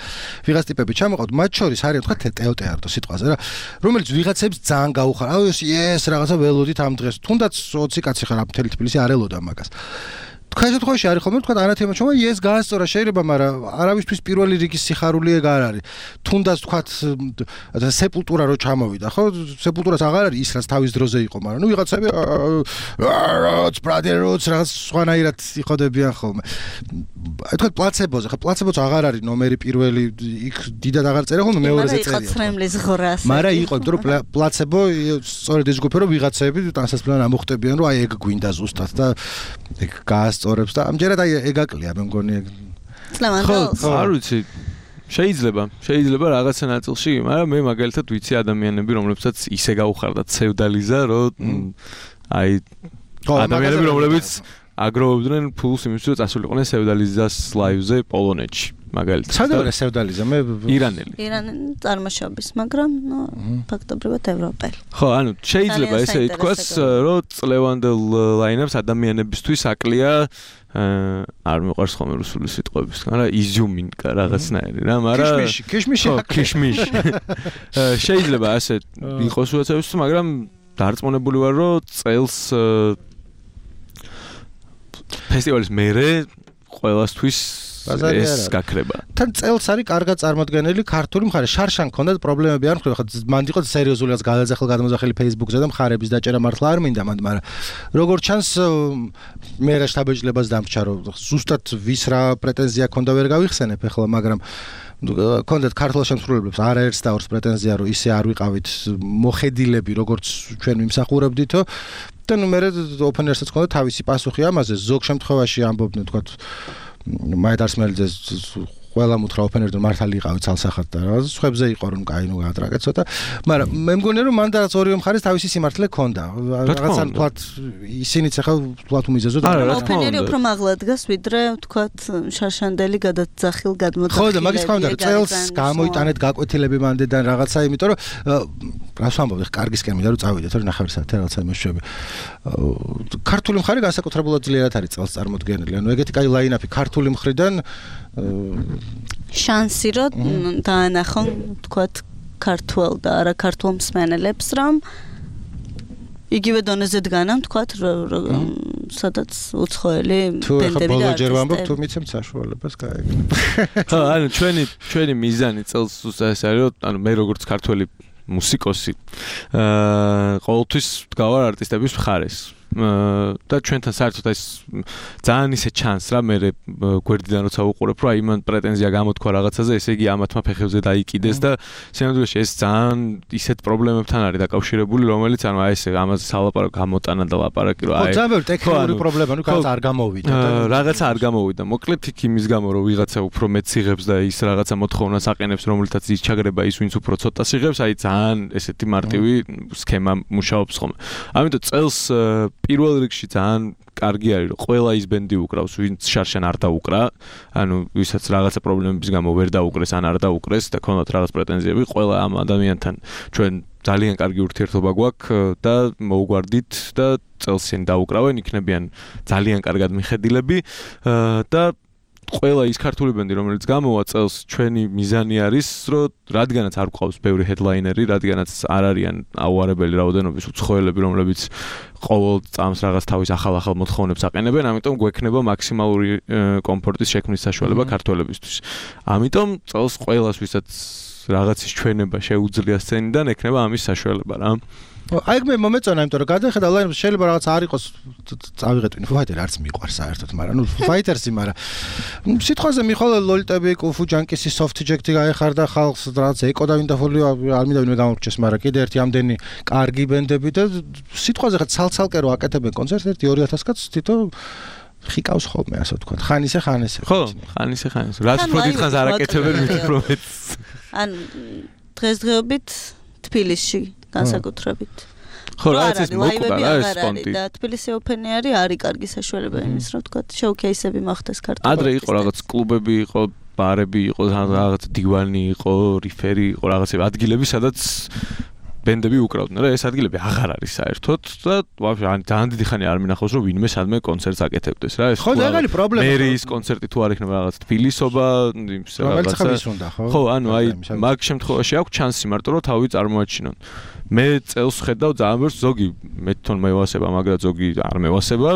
ვიღაც ტიპები ჩამოყავთ მათ შორის არის თქვა ტეოტეარტო სიტყვაზე რა რომელიც ვიღაცებს ძალიან გაუხარ აუ ეს რაღაცა ველოდით ამ დღეს თუნდაც ოცი კაცი ხარ მთელი თბილისი არ ელოდა მაგას თქვენ შემთხვევაში არის ხოლმე თქვა არა თემა ჩომა ეს გაასწორა შეიძლება მაგრამ არავისთვის პირველი რიგის სიხარული ეგ არ არის თუნდაც თქვა სეპულტურა რო ჩამოვიდა ხო სეპულტურას აღარ არის ის რაც თავის დროზე იყო მაგრამ ნუ ვიღაცები როც ბრადეროც რაღაც სხვანაირად იყოდებიან ხოლმე აი თქვა პლაცებოზე ხა პლაცებოც აღარ არის ნომერი პირველი იქ დიდად აღარ წერია ხოლმე მეორეზე წერია მაგრამ იყო ცრემლის ღრას მაგრამ იყო იმიტომ რომ პლაცებო სწორედ ის ჯგუფი რომ ვიღაცები ტანსაცმლად ამოხტებიან რომ აი ეგ გვინდა ზუსტად და ეგ გას სწორებს და ამჯერად აი ეგაკლია მე მგონი ეგ. ხო, არ ვიცი. შეიძლება, შეიძლება რაღაცა ნაწილში, მაგრამ მე მაგალითად ვიცი ადამიანები, რომლებსაც ისე გაუხარდათ ფეოდალიზა, რომ აი ადამიანები, რომლებიც აგროვებდნენ ფულს იმისთვის, რომ წასულიყვნენ ფეოდალიზას ლაივზე პოლონეთში. მაგალითად. სადაა ფეოდალიზა? მე ირანელი. ირანელი წარმოშობის, მაგრამ ნუ ფაქტობრივად ევროპელი. ხო, ანუ შეიძლება ესე ითქვას, რომ წლევანდელ ლაინაპს ადამიანებისთვის აკლია არ მიყვარს ხოლმე რუსული სიტყვების, მაგრამ იზიუმინკა რაღაცნაირი რა, მაგრამ ქიშმიში, ქიშმიში აკლია. ქიშმიში. შეიძლება ასე იყოს უცებსო, მაგრამ დარწმუნებული ვარ, რომ წელს ფესტივალის მერე ყველასთვის ეს გაქრება. თან წელს არის კარგად წარმოდგენილი ქართული მხარე. შარშან ქონდა პრობლემები არ მხრე, ხა მანდ იყო სერიოზული რაც გადაძახილ გადამოძახილი Facebook-ზე და მხარების დაჭერა მართლა არ მინდა მანდ, მაგრამ როგორც ჩანს მე რა შტაბეჭლებას დამრჩა რომ ზუსტად ვის რა პრეტენზია ქონდა ვერ გავიხსენებ ახლა, მაგრამ კონდეთ ქართულ შემსრულებლებს არაერთს და ორს პრეტენზია რომ ისე არ ვიყავით მოხედილები როგორც ჩვენ მიმსახურებდითო და ნუ მე open air-საც ქონდა თავისი პასუხი ამაზე ზოგ შემთხვევაში ამბობდნენ თქვა მაიდარს მელძე ყველა მუთხრა open air-დან მართალი იყავით ცალსახად და რა სხვებზე იყო რომ კაი ნუ გაატრაკეთ ცოტა მაგრამ მე მგონია რომ მანდ რაც ორივე მხარეს თავისი სიმართლე ქონდა რაღაცა თქვათ ისინიც ახლა თქვათ უმიზეზოდ open air-ი უფრო მაღლა დგას ვიდრე თქვათ შარშანდელი გადაძახილ გადმოძახილები ხო და მაგის თქვა რომ წელს გამოიტანეთ გაკვეთილები მანდედან რაღაცა იმიტომ რომ რას ვამბობ ხა კარგისკენ მინდა რომ წავიდეთ რომ ნახევარ საათი რაღაცა იმეშვები ქართული მხარე განსაკუთრებულად ძლიერად არის წელს წარმოდგენილი ანუ ეგეთი კაი ლაინაპი ქართული მხრიდან შანსი რომ დაანახონ თქვათ ქართულ და არა ქართულ მსმენელებს რომ იგივე დონეზე დგანან თქვათ სადაც უცხოელი ტენდები და ბოლოჯერ ვამბობ თუ მიცემთ საშუალებას გაიგნებ ხო ანუ ჩვენი ჩვენი მიზანი წელს ეს არის რომ ანუ მე როგორც ქართველი მუსიკოსი აა ყოველთვის ვდგავარ არტისტების მხარეს და ჩვენთან საერთოდ ეს ძალიან ისე ჩანს რა მე გვერდიდან როცა უყურებ რომ აი მან პრეტენზია გამოთქვა რაღაცაზე ესე იგი ამათმა ფეხებზე დაიკიდეს და სინამდვილეში ეს ძალიან ისეთ პრობლემებთან არის დაკავშირებული რომელიც ანუ აი ესე ამაზე სალაპარაკო გამოტანა და ლაპარაკი რომ აი ხო ძალიან ტექნიკური პრობლემა ნუ რაღაც არ გამოვიდა და რაღაცა არ გამოვიდა მოკლედ იქ იმის გამო რომ ვიღაცა უფრო მეტ სიღებს და ის რაღაცა მოთხოვნას აყენებს რომელთაც ის ჩაგრება ის ვინც უფრო ცოტა სიღებს აი ძალიან ესეთი მარტივი სქემა მუშაობს ხოლმე ამიტომ წელს პირველ რიგში ძალიან კარგი არის რომ ყველა ის ბენდი უკრავს ვინც შარშან არ დაუკრა ანუ ვისაც რაღაცა პრობლემების გამო ვერ დაუკრეს ან არ დაუკრეს და ქონდათ რაღაც პრეტენზიები ყველა ამ ადამიანთან ჩვენ ძალიან კარგი ურთიერთობა გვაქვს და მოუგვარდით და წელს ისინი დაუკრავენ, იქნებიან ძალიან კარგად მიხედილები და ყველა ის ქართული ბენდი, რომელიც გამოვა წელს, ჩვენი მიზანი არის, რომ რადგანაც არ გვყავს ბევრი ჰედლაინერი, რადგანაც არ არიან აუარებელი რაოდენობის უცხოელები, რომლებიც ყოველ წამს რაღაც თავის ახალ-ახალ მოთხოვნებს აყენებენ, ამიტომ გვექნება მაქსიმალური კომფორტის შექმნის საშუალება ქართველებისთვის. ამიტომ წელს ყველას, ვისაც რაღაცის ჩვენება შეუძლია სცენიდან, ექნება ამის საშუალება რა. აი მე მომეწონა, იმიტომ რომ გადახედა ლაინაპი შეიძლება რაღაც არ იყოს წავიღეთ ვინ ფაიტერი არც მიყვარს საერთოდ, მაგრამ ნუ ფაითერსი, მაგრამ სიტყვაზე მიხოლა ლოლიტები, კუფუ ჯანკისი, სოფთი ჯექტი გაეხარდა ხალხს, რაღაც ეკო და ვინდაფოლი არ მინდა ვინმე გამორჩეს, მაგრამ კიდე ერთი ამდენი კარგი ბენდები და სიტყვაზე ხა ცალ-ცალკე რო აკეთებენ კონცერტს ერთი ორი ათას კაცს თითო ხიკავს ხოლმე, ასე ვთქვათ. ხან ისე ხან ესე. ხო, ხან ისე ხან ესე. რაც უფრო დიდხანს არ აკეთებენ, მით უფრო მეც. ან დღესდღეობით თბილისში განსაკუთრებით. ხო, რაც ეს მოკვდა რა ეს სპონტი. და თბილისი ოფენი არის, არის კარგი საშუალება იმის, რომ თქვა, შოუკეისები მოხდეს ქართულ. ადრე იყო რაღაც კლუბები, იყო ბარები, იყო რაღაც დივანი, იყო რიფერი, იყო რაღაცები ადგილები, სადაც ბენდები უკრავდნენ რა, ეს ადგილები აღარ არის საერთოდ და ვაფშე ძალიან დიდი ხანი არ მინახავს რომ ვინმე სადმე კონცერტს აკეთებდეს რა, ეს ხო, ეგ არის პრობლემა. მერის კონცერტი თუ არ იქნება რაღაც თბილისობა, იმის რაღაცა. ხო, ანუ აი მაგ შემთხვევაში აქვს ჩანსი მარტო რომ თავი წარმოაჩინონ. მე წელს ხედავ ძალიან ბევრს, ზოგი მე თვითონ მევასება, მაგრამ ზოგი არ მევასება,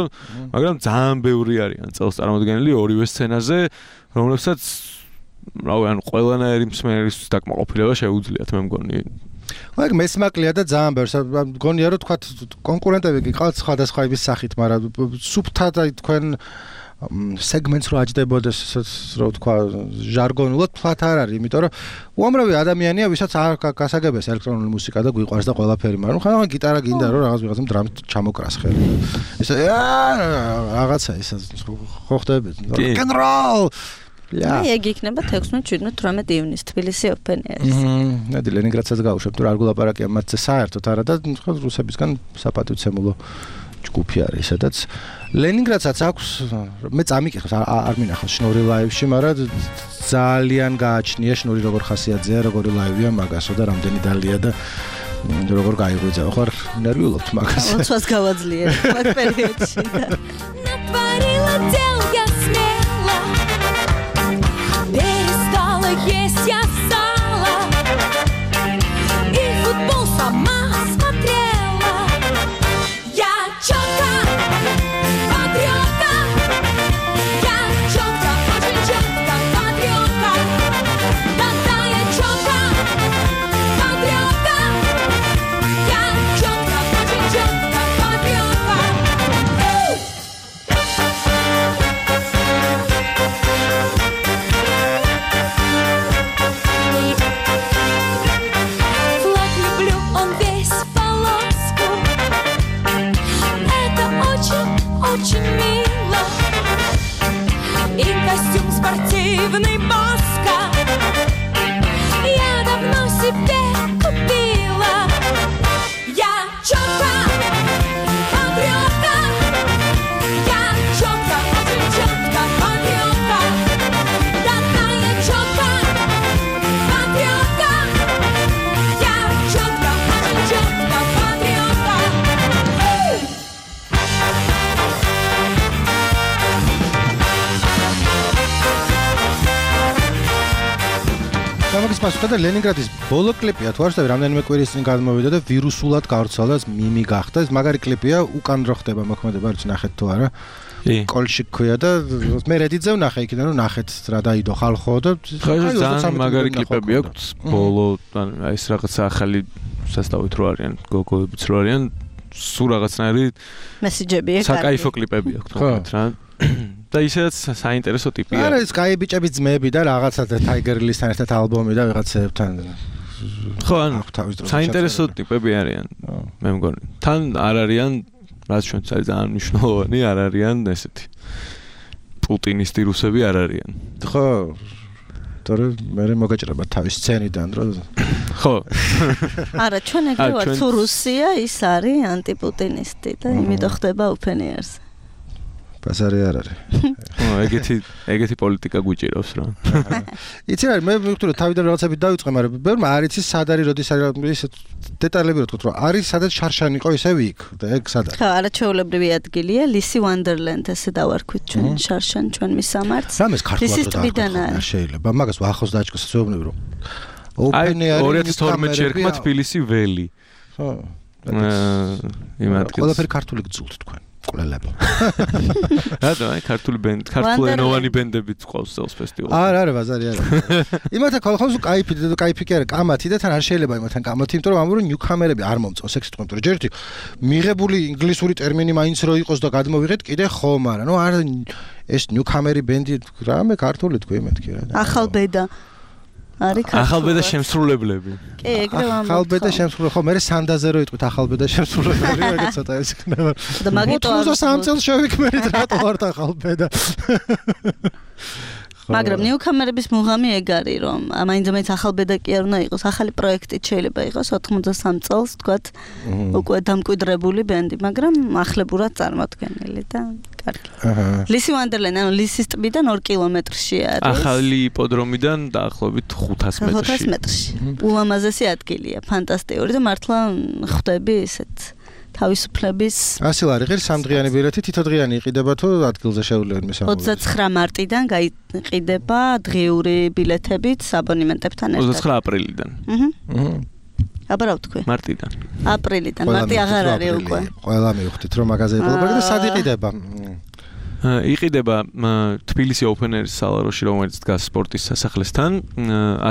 მაგრამ ძალიან ბევრი არიან წელს წარმოდგენილი ორივე სცენაზე, რომლებსაც რავი, ანუ ყველანაირი მსმენის დაკმაყოფილება შეუძლიათ, მე მგონი. აი მესმაკლია და ძალიან ბევრს მგონია რომ თქვა კონკურენტები კი ყავთ სხვადასხვა იმის სახით, მაგრამ სუფთა და თქვენ სეგმენტს რო აჯდებოდეს, რო თქვა ჟარგონულად ფლათ არ არის, იმიტომ რომ უამრავი ადამიანია, ვისაც არ გასაგებია ელექტრონული მუსიკა და გვიყვარს და ყველაფერი, მაგრამ ხან გიტარა გინდა რომ რაღაც ვიღაცამ დრამს ჩამოკრას ხელი. ეს რაღაცა ის ხო ხდები. როკ-ენ-როლ აი ეგ იქნება თექვსმეტ შვიდმეტ თვრამეტ ივნის თბილისი ოფენი არის. მმ, ნადი ლენინგრადსაც გავუშვებ, თუ რა გულაპარაკია მათზე საერთოდ არა და ხო რუსებისგან საპატივცემულო ჯგუფი არის, სადაც ლენინგრადსაც აქვს, მე წამიკითხავს, არ მინახავს შნური ლაივში, მაგრამ ძალიან გააჩნია შნური როგორ ხასიათზეა, როგორი ლაივია მაგასო და რამდენი დალია და როგორ გაიღვიძა, ხო არ ნერვიულობთ მაგას. ლოცვას გავაძლიერე მაგ პერიოდში და натворила дел я смело. Перестала есть я сало и футбол сама смотрела. Я чётко патриотка, я чётко, очень чётко патриотка. Да-да, я чётко патриотка, я чётко, очень чётко патриотка. Флаг люблю, он весь в полоску. Это очень, очень мило. И костюм спортивный Баска я давно себе купила. Я чётко патриотка, я чётко, очень чётко патриотка. Да-да, я чётко патриотка, я чётко, очень чётко патриотка. გამოგის პასუხი და ლენინგრადის ბოლო კლიპია, თუ არ ვსწავლე, რამდენიმე კვირის წინ გადმოვიდა და ვირუსულად გავრცელდა, მიმი გახდა. ეს მაგარი კლიპია, უკან რო ხდება მოქმედება, არც ნახეთ თუ არა. კი. კოლში ქვია და მე რედიტზე ვნახე იქიდან, რომ ნახეთ რა დაიდო ხალხო და ხო, ეს ძალიან მაგარი კლიპები აქვს. ბოლო აი ეს რაღაცა ახალი სასტავით რო არიან, გოგოებიც რო არიან, სულ რაღაცნაირი მესიჯები ეგ საკაიფო კლიპები აქვს თქო რა. და ისედაც საინტერესო ტიპია. არა, ეს კაი ბიჭების ძმები და რაღაცა და Tiger Lily-სთან ერთად ალბომი და ვიღაცებთან. ხო, ანუ საინტერესო ტიპები არიან. მე მგონი. თან არ არიან, რაც ჩვენც არის ძალიან მნიშვნელოვანი, არ არიან ესეთი პუტინისტი რუსები არ არიან. ხო. თორე მე მოგეჭრება თავის სცენიდან, რომ ხო. არა, ჩვენ ეგრე ვართ, თუ რუსია ის არის ანტიპუტინისტი და იმიტომ ხდება ოფენიერს. ბაზარი არ არის. ხო, ეგეთი ეგეთი პოლიტიკა გვიჭირავს რა. იცი რა, მე მივხვდი რომ თავიდან რაღაცები დავიწყე, მაგრამ ბევრმა არ იცის სად არის, როდის არის ეს დეტალები რო თქვით, რომ არის სადაც შარშანი იყო ისევ იქ და ეგ სად არის. ხო, არაჩვეულებრივი ადგილია, ლისი ვანდერლენდ ესე დავარქვით ჩვენ შარშან ჩვენ მისამართს. რამეს ქართულად რო არ შეიძლება, მაგას ახოს დაჭკოს ზეუბნები რომ ოპენი არის ორი ათას თორმეტში ერქვა თბილისი ველი. ხო. იმ ადგილს. ყველაფერი ქართული გძულთ თქვენ. ყველები. რატო, აი ქართული ბენდი, ქართულენოვანი ბენდებიც ყავს წელს ფესტივალზე. არა, არა, ბაზარი არა. იმათა ხოლმე კაიფი და კაიფი კი არა, კამათი და თან არ შეიძლება იმათან კამათი, იმიტომ რომ ამბობენ ნიუქამერები არ მომწონს ეგ სიტყვა, იმიტომ რომ ჯერ ერთი მიღებული ინგლისური ტერმინი მაინც რო იყოს და გადმოვიღეთ კიდე ხომ არა, ნუ არ ეს ნიუქამერი ბენდი რამე ქართული თქვი მეთქი რა. ახალბედა არის ქართული. ახალბედა შემსრულებლები. კი, ეგრე ვამბობ. ახალბედა შემსრულებელი, ხო, მე სანდაზე რო იტყვით ახალბედა შემსრულებელი, ეგეც ცოტა ეს იქნება. და მაგიტო ოცდასამ წელს შევიქმერეთ რატო ვართ ახალბედა. მაგრამ ნიუქამერების მუღამი ეგ არის, რომ მაინც-მაინც ახალბედა კი არ უნდა იყოს, ახალი პროექტით შეიძლება იყოს ოცდამოცდასამ წელს, თქვათ, უკვე დამკვიდრებული ბენდი, მაგრამ ახლებურად წარმოდგენილი და კარგი. ლისი ვანდერლენდ, ანუ ლისის ტბიდან ორი კილომეტრში არის. ახალი იპოდრომიდან დაახლოებით ხუთას მეტრში. ხუთას მეტრში. ულამაზესი ადგილია, ფანტასტიკური და მართლა ხვდები ისეთ თავისუფლების ასი ლარი ღირს სამდღიანი ბილეთი თითოდღიანი იყიდება თუ ადგილზე შეუძლია მისამართი. ოცდაცხრა მარტიდან გაიყიდება დღიური ბილეთებით აბონემენტებთან ერთად. ოცდაცხრა აპრილიდან. აჰა. აბა რა ვთქვი? მარტიდან. აპრილიდან, მარტი აღარ არის უკვე. ყველა მივხვდით რომ მაგაზე იყო და სად იყიდება? იყიდება თბილისი Open Air-ის სალაროში, რომელიც დგას სპორტის სასახლესთან,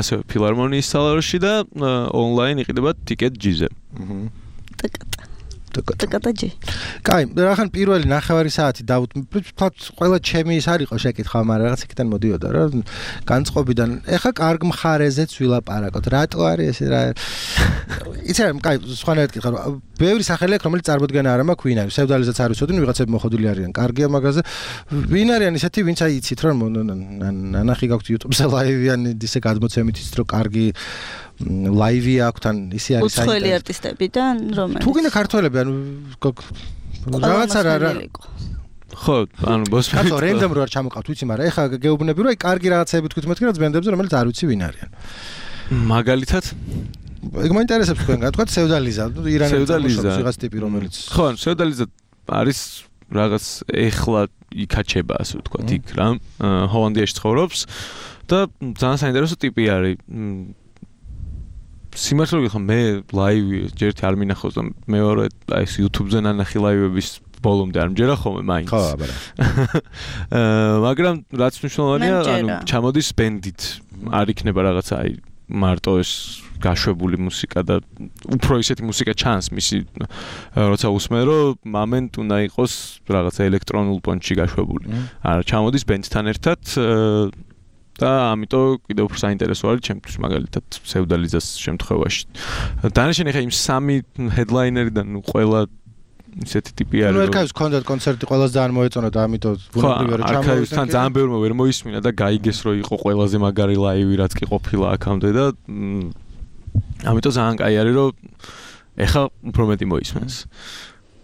ასევე ფილარმონიის სალაროში და ონლაინ იყიდება TicketJet-ზე. აჰა. ტკტ. ტკტ-ჯი. კაი, რახან პირველი ნახევარი საათი დავთ, ყველა ჩემი ის არ იყო შეკითხვა, მაგრამ რაღაც იქიდან მოდიოდა რა. განწყობიდან, ეხა კარგ მხარეზეც ვილაპარაკოთ. რატო არის ეს რა? იცი რა, კაი, სხვანაირად კითხა, რომ ბევრი სახელი აქვს, რომელიც წარმოდგენა არ მაქვს ვინ არის. სევდალიზეც არ ვიცოდნენ, ვიღაცები მოხდილი არიან. კარგია მაგაზე. ვინ არიან ისეთი, ვინც აი იცით რომ ნანახი გაქვთ YouTube-ზე ლაივიანი ისე გადმოცემით ის რომ კარგი ლაივი აქვს თან ისე არის საერთოდ. უცხოელი არტისტებიდან რომელიც თუ გინდა ქართველები ანუ რაღაცა რა ხო, ანუ ბოსმენი. კაცო, რენდომ რო არ ჩამოყავთ, ვიცი, მაგრამ ეხა გეუბნები რომ აი კარგი რაღაცები თქვით მეთქი რაც ბენდებზე რომელიც არ ვიცი ვინ არიან. მაგალითად ეგ მაინტერესებს თქვენგან, თქვა სევდალიზა, ირანელი ვიღაც ტიპი რომელიც ხო, ანუ სევდალიზა არის რაღაც ეხლა იქაჩება ასე ვთქვათ იქ რა, ჰოლანდიაში ცხოვრობს და ძალიან საინტერესო ტიპი არის. სიმართლე გითხრა მე ლაივი ჯერტი არ მინახავს და მეორე აი ეს YouTube-ზე ნანახი ლაივების ბოლომდე არ მჯერა ხოლმე მაინც. ხო, აბა. აა მაგრამ რაც მნიშვნელოვანია, ანუ ჩამოდის ბენდით. არ იქნება რაღაცა აი მარტო ეს გაშვებული მუსიკა და უფრო ისეთი მუსიკა ჩანს მისი როცა უსმენ რომ მომენტ უნდა იყოს რაღაცა ელექტრონულ პონჩი გაშვებული. არა ჩამოდის ბენდთან ერთად და ამიტომ კიდევ უფრო საინტერესო არის ჩემთვის მაგალითად სევდალიზას შემთხვევაში. დანარჩენი ხა იმ სამი ჰედლაინერიდან ყველა ისეთი ტიპი არის. ნუ ერქავის კონცერტ კონცერტი ყველას ძალიან მოეწონა და ამიტომ ბუნებრივია რომ ჩამოვიდეს. თან ძალიან ბევრმა ვერ მოისმინა და გაიგეს რომ იყო ყველაზე მაგარი ლაივი რაც კი ყოფილა აქამდე და ამიტომ ძალიან კაი არის რომ ეხა უფრო მეტი მოისმენს.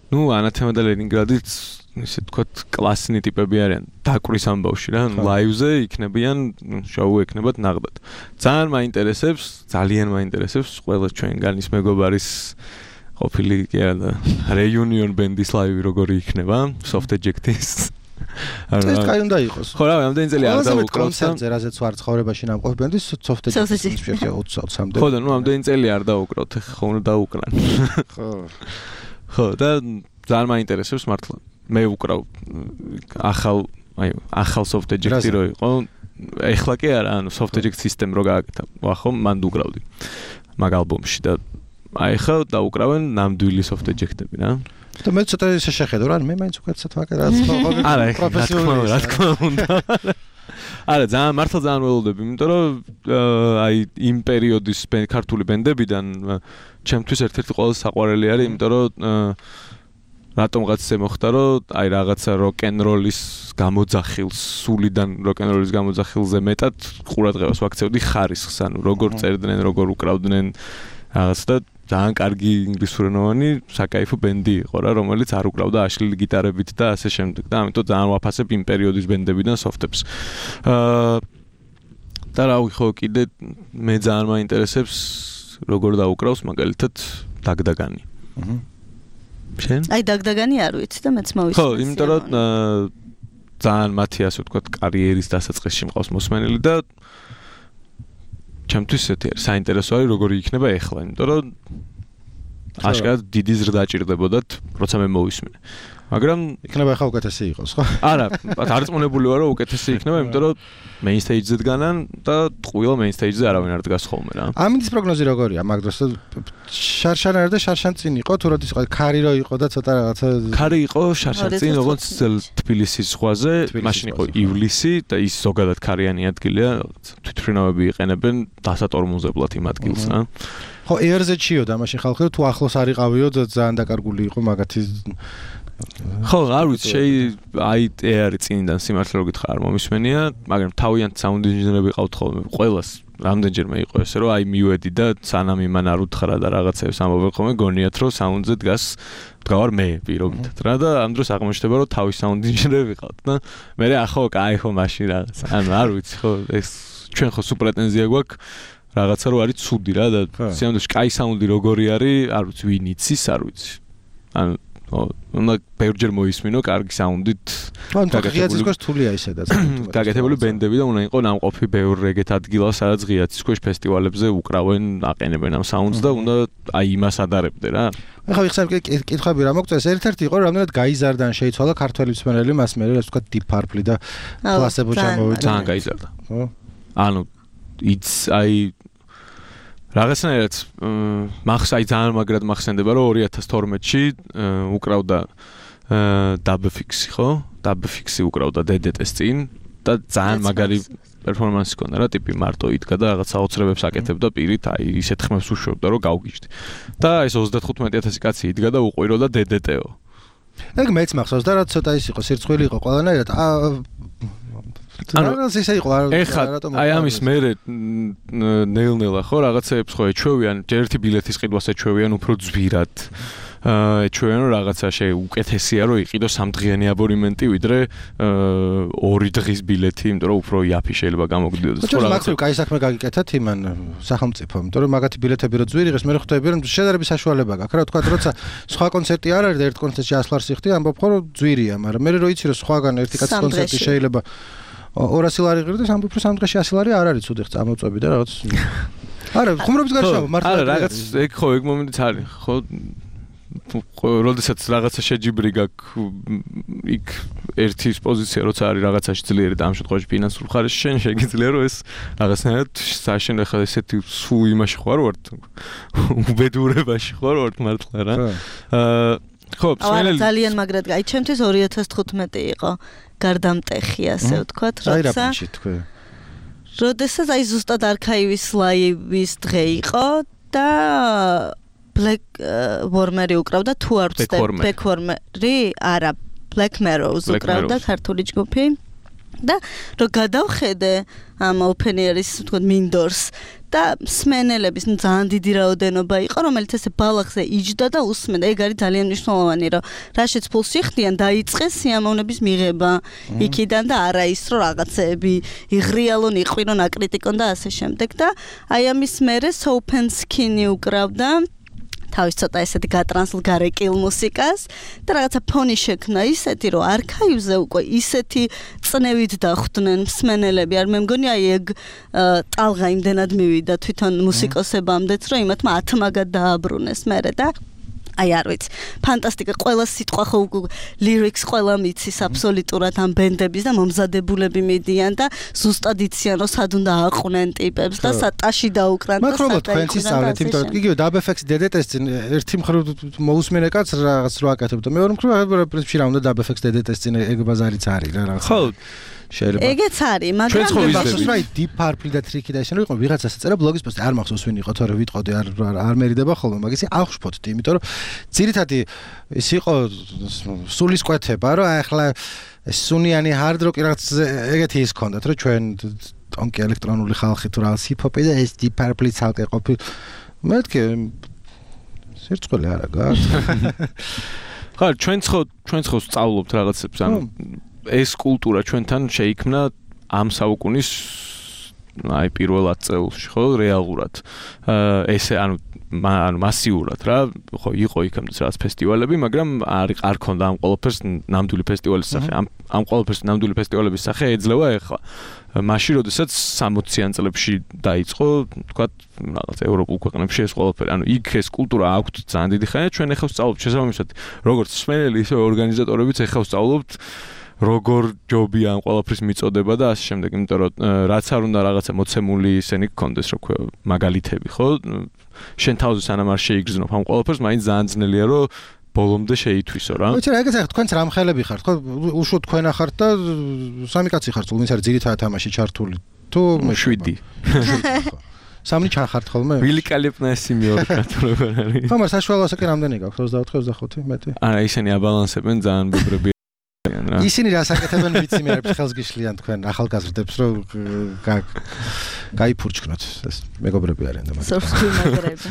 ნუ ანათემა და ლენინგრადიც ისე თქვათ კლასინი ტიპები არიან დაკვრის ამბავში რა ლაივზე იქნებიან შოუ ექნებათ ნაღდად. ძალიან მაინტერესებს, ძალიან მაინტერესებს ყველა ჩვენგანის მეგობარის ყოფილი კი არა და რეიუნიონ ბენდის ლაივი როგორი იქნება Soft Eject-ის. ეს კაი უნდა იყოს. ხო რა, ამდენი წელი არ დავუკრავთ კონცერტზე, რაზეც ვარ ცხოვრებაში ნამყოფ ბენდის Soft Eject-ის შეიძლება ოცდაოცამდე. ხო და ნუ ამდენი წელი არ დავუკრავთ, ხო უნდა დაუკრან. ხო. ხო და ძალიან მაინტერესებს მართლა. მე ვუკრავ ახალ აი ახალ Soft Eject-ი რო იყო. ეხლა კი არა, ანუ Soft Eject System რო გააკეთა. ვახო მან დუკრავდი. მაგ ალბომში და აი ხა დაუკრავენ ნამდვილი Soft Eject-ები რა. და მე ცოტა ისე შეხედო რა, მე მაინც უკეთესად ვაკეთე რაც პროფესიონალი. რა თქმა უნდა. არა, ძალიან მართლა ძალიან ველოდები, იმიტომ რომ აი იმ პერიოდის ქართული ბენდებიდან ჩემთვის ერთ-ერთი ყველაზე საყვარელი არის, იმიტომ რომ რატომღაც ისე მოხდა, რომ აი რაღაცა როკ-ენ-როლის გამოძახილს, სულიდან როკ-ენ-როლის გამოძახილზე მეტად ყურადღებას ვაქცევდი ხარისხს, ანუ როგორ წერდნენ, როგორ უკრავდნენ რაღაც და ძალიან კარგი ინგლისურენოვანი საკაიფო ბენდი იყო რა, რომელიც არ უკრავდა აშლილი გიტარებით და ასე შემდეგ და ამიტომ ძალიან ვაფასებ იმ პერიოდის ბენდებიდან სოფტებს. აა და რა ვიხო კიდე მე ძალიან მაინტერესებს როგორ დაუკრავს მაგალითად დაგდაგანი. აჰა. შენ? აი დაგდაგანი არ ვიცი და მეც მოვისმენს. ხო, იმიტომ რომ ძალიან მათი ასე ვთქვათ კარიერის დასაწყისში მყავს მოსმენელი და ჩემთვის ესეთი არის საინტერესო არის როგორი იქნება ეხლა, იმიტომ რომ აშკარად დიდი ზრდა ჭირდებოდათ, როცა მე მოვისმენე. მაგრამ იქნება ახლა უკეთესი იყოს, ხო? არა, დარწმუნებული ვარ, რომ უკეთესი იქნება, იმიტომ რომ main stage-ზე დგანან და ტყუილ main stage-ზე არავინ არ დგას ხოლმე რა. ამინდის პროგნოზი როგორია მაგ დროს? შარშან არ და შარშან წინ იყო, თუ როდის იყო ქარი რო იყო და ცოტა რაღაცა ქარი იყო შარშან წინ, როგორც თბილისის ზღვაზე, მაშინ იყო ივლისი და ის ზოგადად ქარიანი ადგილია, თვითმფრინავები იყენებენ დასატორმოზებლად იმ ადგილს რა. ხო, ერზეჩიო და მაშინ ხალხი თუ ახლოს არ იყავიო, ძალიან დაკარგული იყო მაგათი ხო, არ ვიცი, შეი აი ეარი წინიდან სიმართლე რო გითხრა არ მომისმენია, მაგრამ თავიანთ საუნდ ინჟინერები ყავთ ხოლმე. ყველას რამდენჯერმე იყო ესე, რომ აი მივედი და სანამ იმან არ უთხრა და რაღაცებს ამბობენ ხოლმე, გონიათ რომ საუნდზე დგას დგავარ მე პირობითად რა და ამ დროს აღმოჩნდება რომ თავის საუნდ ინჟინერები ყავთ და მე ახო კაი ხო მაშინ რაღაც. ანუ არ ვიცი ხო, ეს ჩვენ ხო სუ პრეტენზია გვაქვს რაღაცა რო არის ცუდი რა და სიამოვნებაში კაი საუნდი როგორი არის, არ ვიცი, ვინ იცის, არ ვიცი. ანუ უნდა ბევრჯერ მოისმინო კარგი საუნდით. გაგეთებული ის რთულია ისედაც. გაგეთებული ბენდები და უნდა იყო ნამყოფი ბევრ ეგეთ ადგილას, სადაც ღიაცის ქვეშ ფესტივალებზე უკრავენ, აყენებენ ამ საუნდს და უნდა აი იმას ადარებდე რა. ახლა ვიხსენებ კითხვები რა მოგწეს. ერთ-ერთი იყო რამდენად გაიზარდა ან შეიცვალა ქართველი მსმენელი მას მე ასე ვთქვათ Deep Purple და Placebo ჩამოვიდა. ძალიან გაიზარდა. ხო? ანუ იც აი რაღაცნაირად მახს აი ძალიან მაგრად მახსენდება რომ ორი ათას თორმეტში უკრავდა Dubfix-ი ხო? Dubfix-ი უკრავდა დე დე ტეს წინ და ძალიან მაგარი პერფორმანსი ჰქონდა რა, ტიპი მარტო იდგა და რაღაც საოცრებებს აკეთებდა პირით, აი ისეთ ხმებს უშვებდა რომ გავგიჟდი. და ეს ოცდათხუთმეტი ათასი კაცი იდგა და უყვიროდა დე დე ტე-ო. ეგ მეც მახსოვს და რა ცოტა ის იყო, სირცხვილი იყო ყველანაირად. ანუ ისე იყო რატომ აი ამის მერე ნელ-ნელა ხო რაღაცეებს ხო ეჩვევიან, ერთი ბილეთის ყიდვას ეჩვევიან უფრო ძვირად. აა ეჩვევიან რომ რაღაცა შე უკეთესია რომ იყიდო სამდღიანი აბონემენტი ვიდრე ორი დღის ბილეთი, იმიტომ რომ უფრო იაფი შეიძლება გამოგდიოდეს. ხო, მაგალითად, კაი საქმე გაგიკეთეთ იმან სახელმწიფომ, იმიტომ რომ მაგათი ბილეთები რო ძვირი ღეს, მე ხვდები რომ შედარების საშუალება გაქვს რა, თქვა როცა სხვა კონცერტი არ არის და ერთ კონცერტში ასლარს იხდი, ამბობ ხო რომ ძვირია, მაგრამ მე რო იცი რომ სხვაგან ერთი კაცის კონცერტი შეიძლება ორასი ლარი ღირდეს, ამბობ რომ სამ დღეში ასი ლარი არ არის ცუდი ხა წამოწვევი და რაღაც. არა, ხუმრობის გარშემო მართლა. არა, რაღაც ეგ ხო ეგ მომენტიც არის, ხო როდესაც რაღაცა შეჯიბრი გაქვს იქ ერთის პოზიცია როცა არის რაღაცაში ძლიერი და ამ შემთხვევაში ფინანსურ მხარეში შენ შეგიძლია რომ ეს რაღაცნაირად საშენ ახლა ესეთი სულ იმაში ხარ ვარ უბედურებაში ხარ ვარ მართლა რა აა ხო სმენელი ძალიან მაგრად აი ჩემთვის ორი ათას თხუთმეტი იყო გარდამტეხი ასე ვთქვათ როცა როდესაც აი ზუსტად არქაივის ლაივის დღე იყო და Black Warmer-ი უკრავდა თუ არ ვცდები Black Warmer-ი არა Black Mirrors უკრავდა ქართული ჯგუფი და რო გადავხედე ამ open air-ის თქო მინდორს და სმენელების ძალიან დიდი რაოდენობა იყო რომელიც ესე ბალახზე იჯდა და უსმენდა ეგ არის ძალიან მნიშვნელოვანი რომ რაშიც ფულს იხდიან დაიწყეს სიამოვნების მიღება იქიდან და არა ის რომ რაღაცეები იღრიალონ იყვირონ აკრიტიკონ და ასე შემდეგ და აი ამის მერე Open Skin-ი უკრავდა თავის ცოტა ესეთი გატრანსლ გარეკილ მუსიკას და რაღაცა ფონი შექმნა ისეთი რომ არქაივზე უკვე ისეთი წნევით დახვდნენ მსმენელები არ მე მგონი აი ეგ ტალღა იმდენად მივიდა თვითონ მუსიკოსებამდეც რომ იმათმა ათმაგად დააბრუნეს მერე და აი არ ვიცი ფანტასტიკა ყველა სიტყვა ხო ლირიქს ყველა მიცის აბსოლუტურად ამ ბენდების და მომზადებულები მიდიან და ზუსტად იციან რომ სად უნდა აყვნენ ტიპებს და სატაში დაუკრან და მაგრამ თქვენც ისწავლეთ იმიტომ რომ იგივე დაბეფექს დე დე ტეს ერთი მხრივ მოусმენე კაც რაღაც რო აკეთებდა მეორე მხრივ პრინციპში რა უნდა დაბეფექს დე დე ტეს წინ ეგ ბაზარიც არის რა რაღაც ხო შეიძლება ეგეც არის მაგრამ მახსოვს რა Deep Purple და Tricky და ისინი იყო ვიღაცას ეწერა ბლოგის პოსტი არ მახსოვს ვინ იყო თორე ვიტყოდი არ არ მერიდება ხოლმე მაგისი აღშფოთდი იმიტომ რომ ძირითადი ის იყო სულისკვეთება რომ ახლა სუნიანი hard rock რაღაც ეგეთი ის ქონდათ რომ ჩვენ ტონკი ელექტრონული ხალხი თუ რაღაც hip hop და ეს Deep Purple-ი ცალკე ყოფილი მეთქე სირწყული არა გაქვს. ხა ჩვენ ხო ჩვენ ხო სწავლობთ რაღაცებს, ანუ ეს კულტურა ჩვენთან შეიქმნა ამ საუკუნის აი პირველ ათ წელში ხო რეალურად. ესე ანუ ანუ მასიურად რა ხო იყო იქამდე რაღაც ფესტივალები, მაგრამ არ არ ქონდა ამ ყველაფერს ნამდვილი ფესტივალის სახე. ამ ამ ყველაფერს ნამდვილი ფესტივალების სახე ეძლევა ახლა. მაშინ როდესაც სამოციან წლებში დაიწყო, თქვა რაღაც ევროპულ ქვეყნებში ეს ყველაფერი. ანუ იქ ეს კულტურა აქვთ ძალიან დიდი ხანია, ჩვენ ახლა ვსწავლობთ შესაბამისად, როგორც მსმენელი, ისე ორგანიზატორებიც ახლა ვსწავლობთ როგორ ჯობია ამ ყველაფრის მიწოდება და ასე შემდეგ, იმიტომ რომ რაც არ უნდა რაღაცა მოცემული ისენი გქონდეს, რა ქვია, მაგალითები, ხო? შენ თავზე სანამ არ შეიგრძნობ ამ ყველაფერს, მაინც ძალიან ძნელია რომ ბოლომდე შეითვისო რა. ვიცი რა, ეგეც ახლა თქვენც რამხელები ხართ, ხო? უშუალოდ თქვენ ახართ და სამი კაცი ხართ, ვინც არის ძირითადად თამაში ჩართული. თუ შვიდი. სამი ჩახართ ხოლმე? ვილიკალეპნესი მეორე კაცი როგორ არის? ხო, მაგრამ საშუალო ასაკი რამდენი გაქვს? ოცდაოთხი ოცდახუთი მეტი? არა, ისინი აბალანსებენ ძალიან ბებრები. ისინი რას აკეთებენ ვიცი მე არის ხელს გიშლიან თქვენ ახალგაზრდებს რომ გაიფურჩქნოთ ეს მეგობრები არიან და მაგ მეგობრები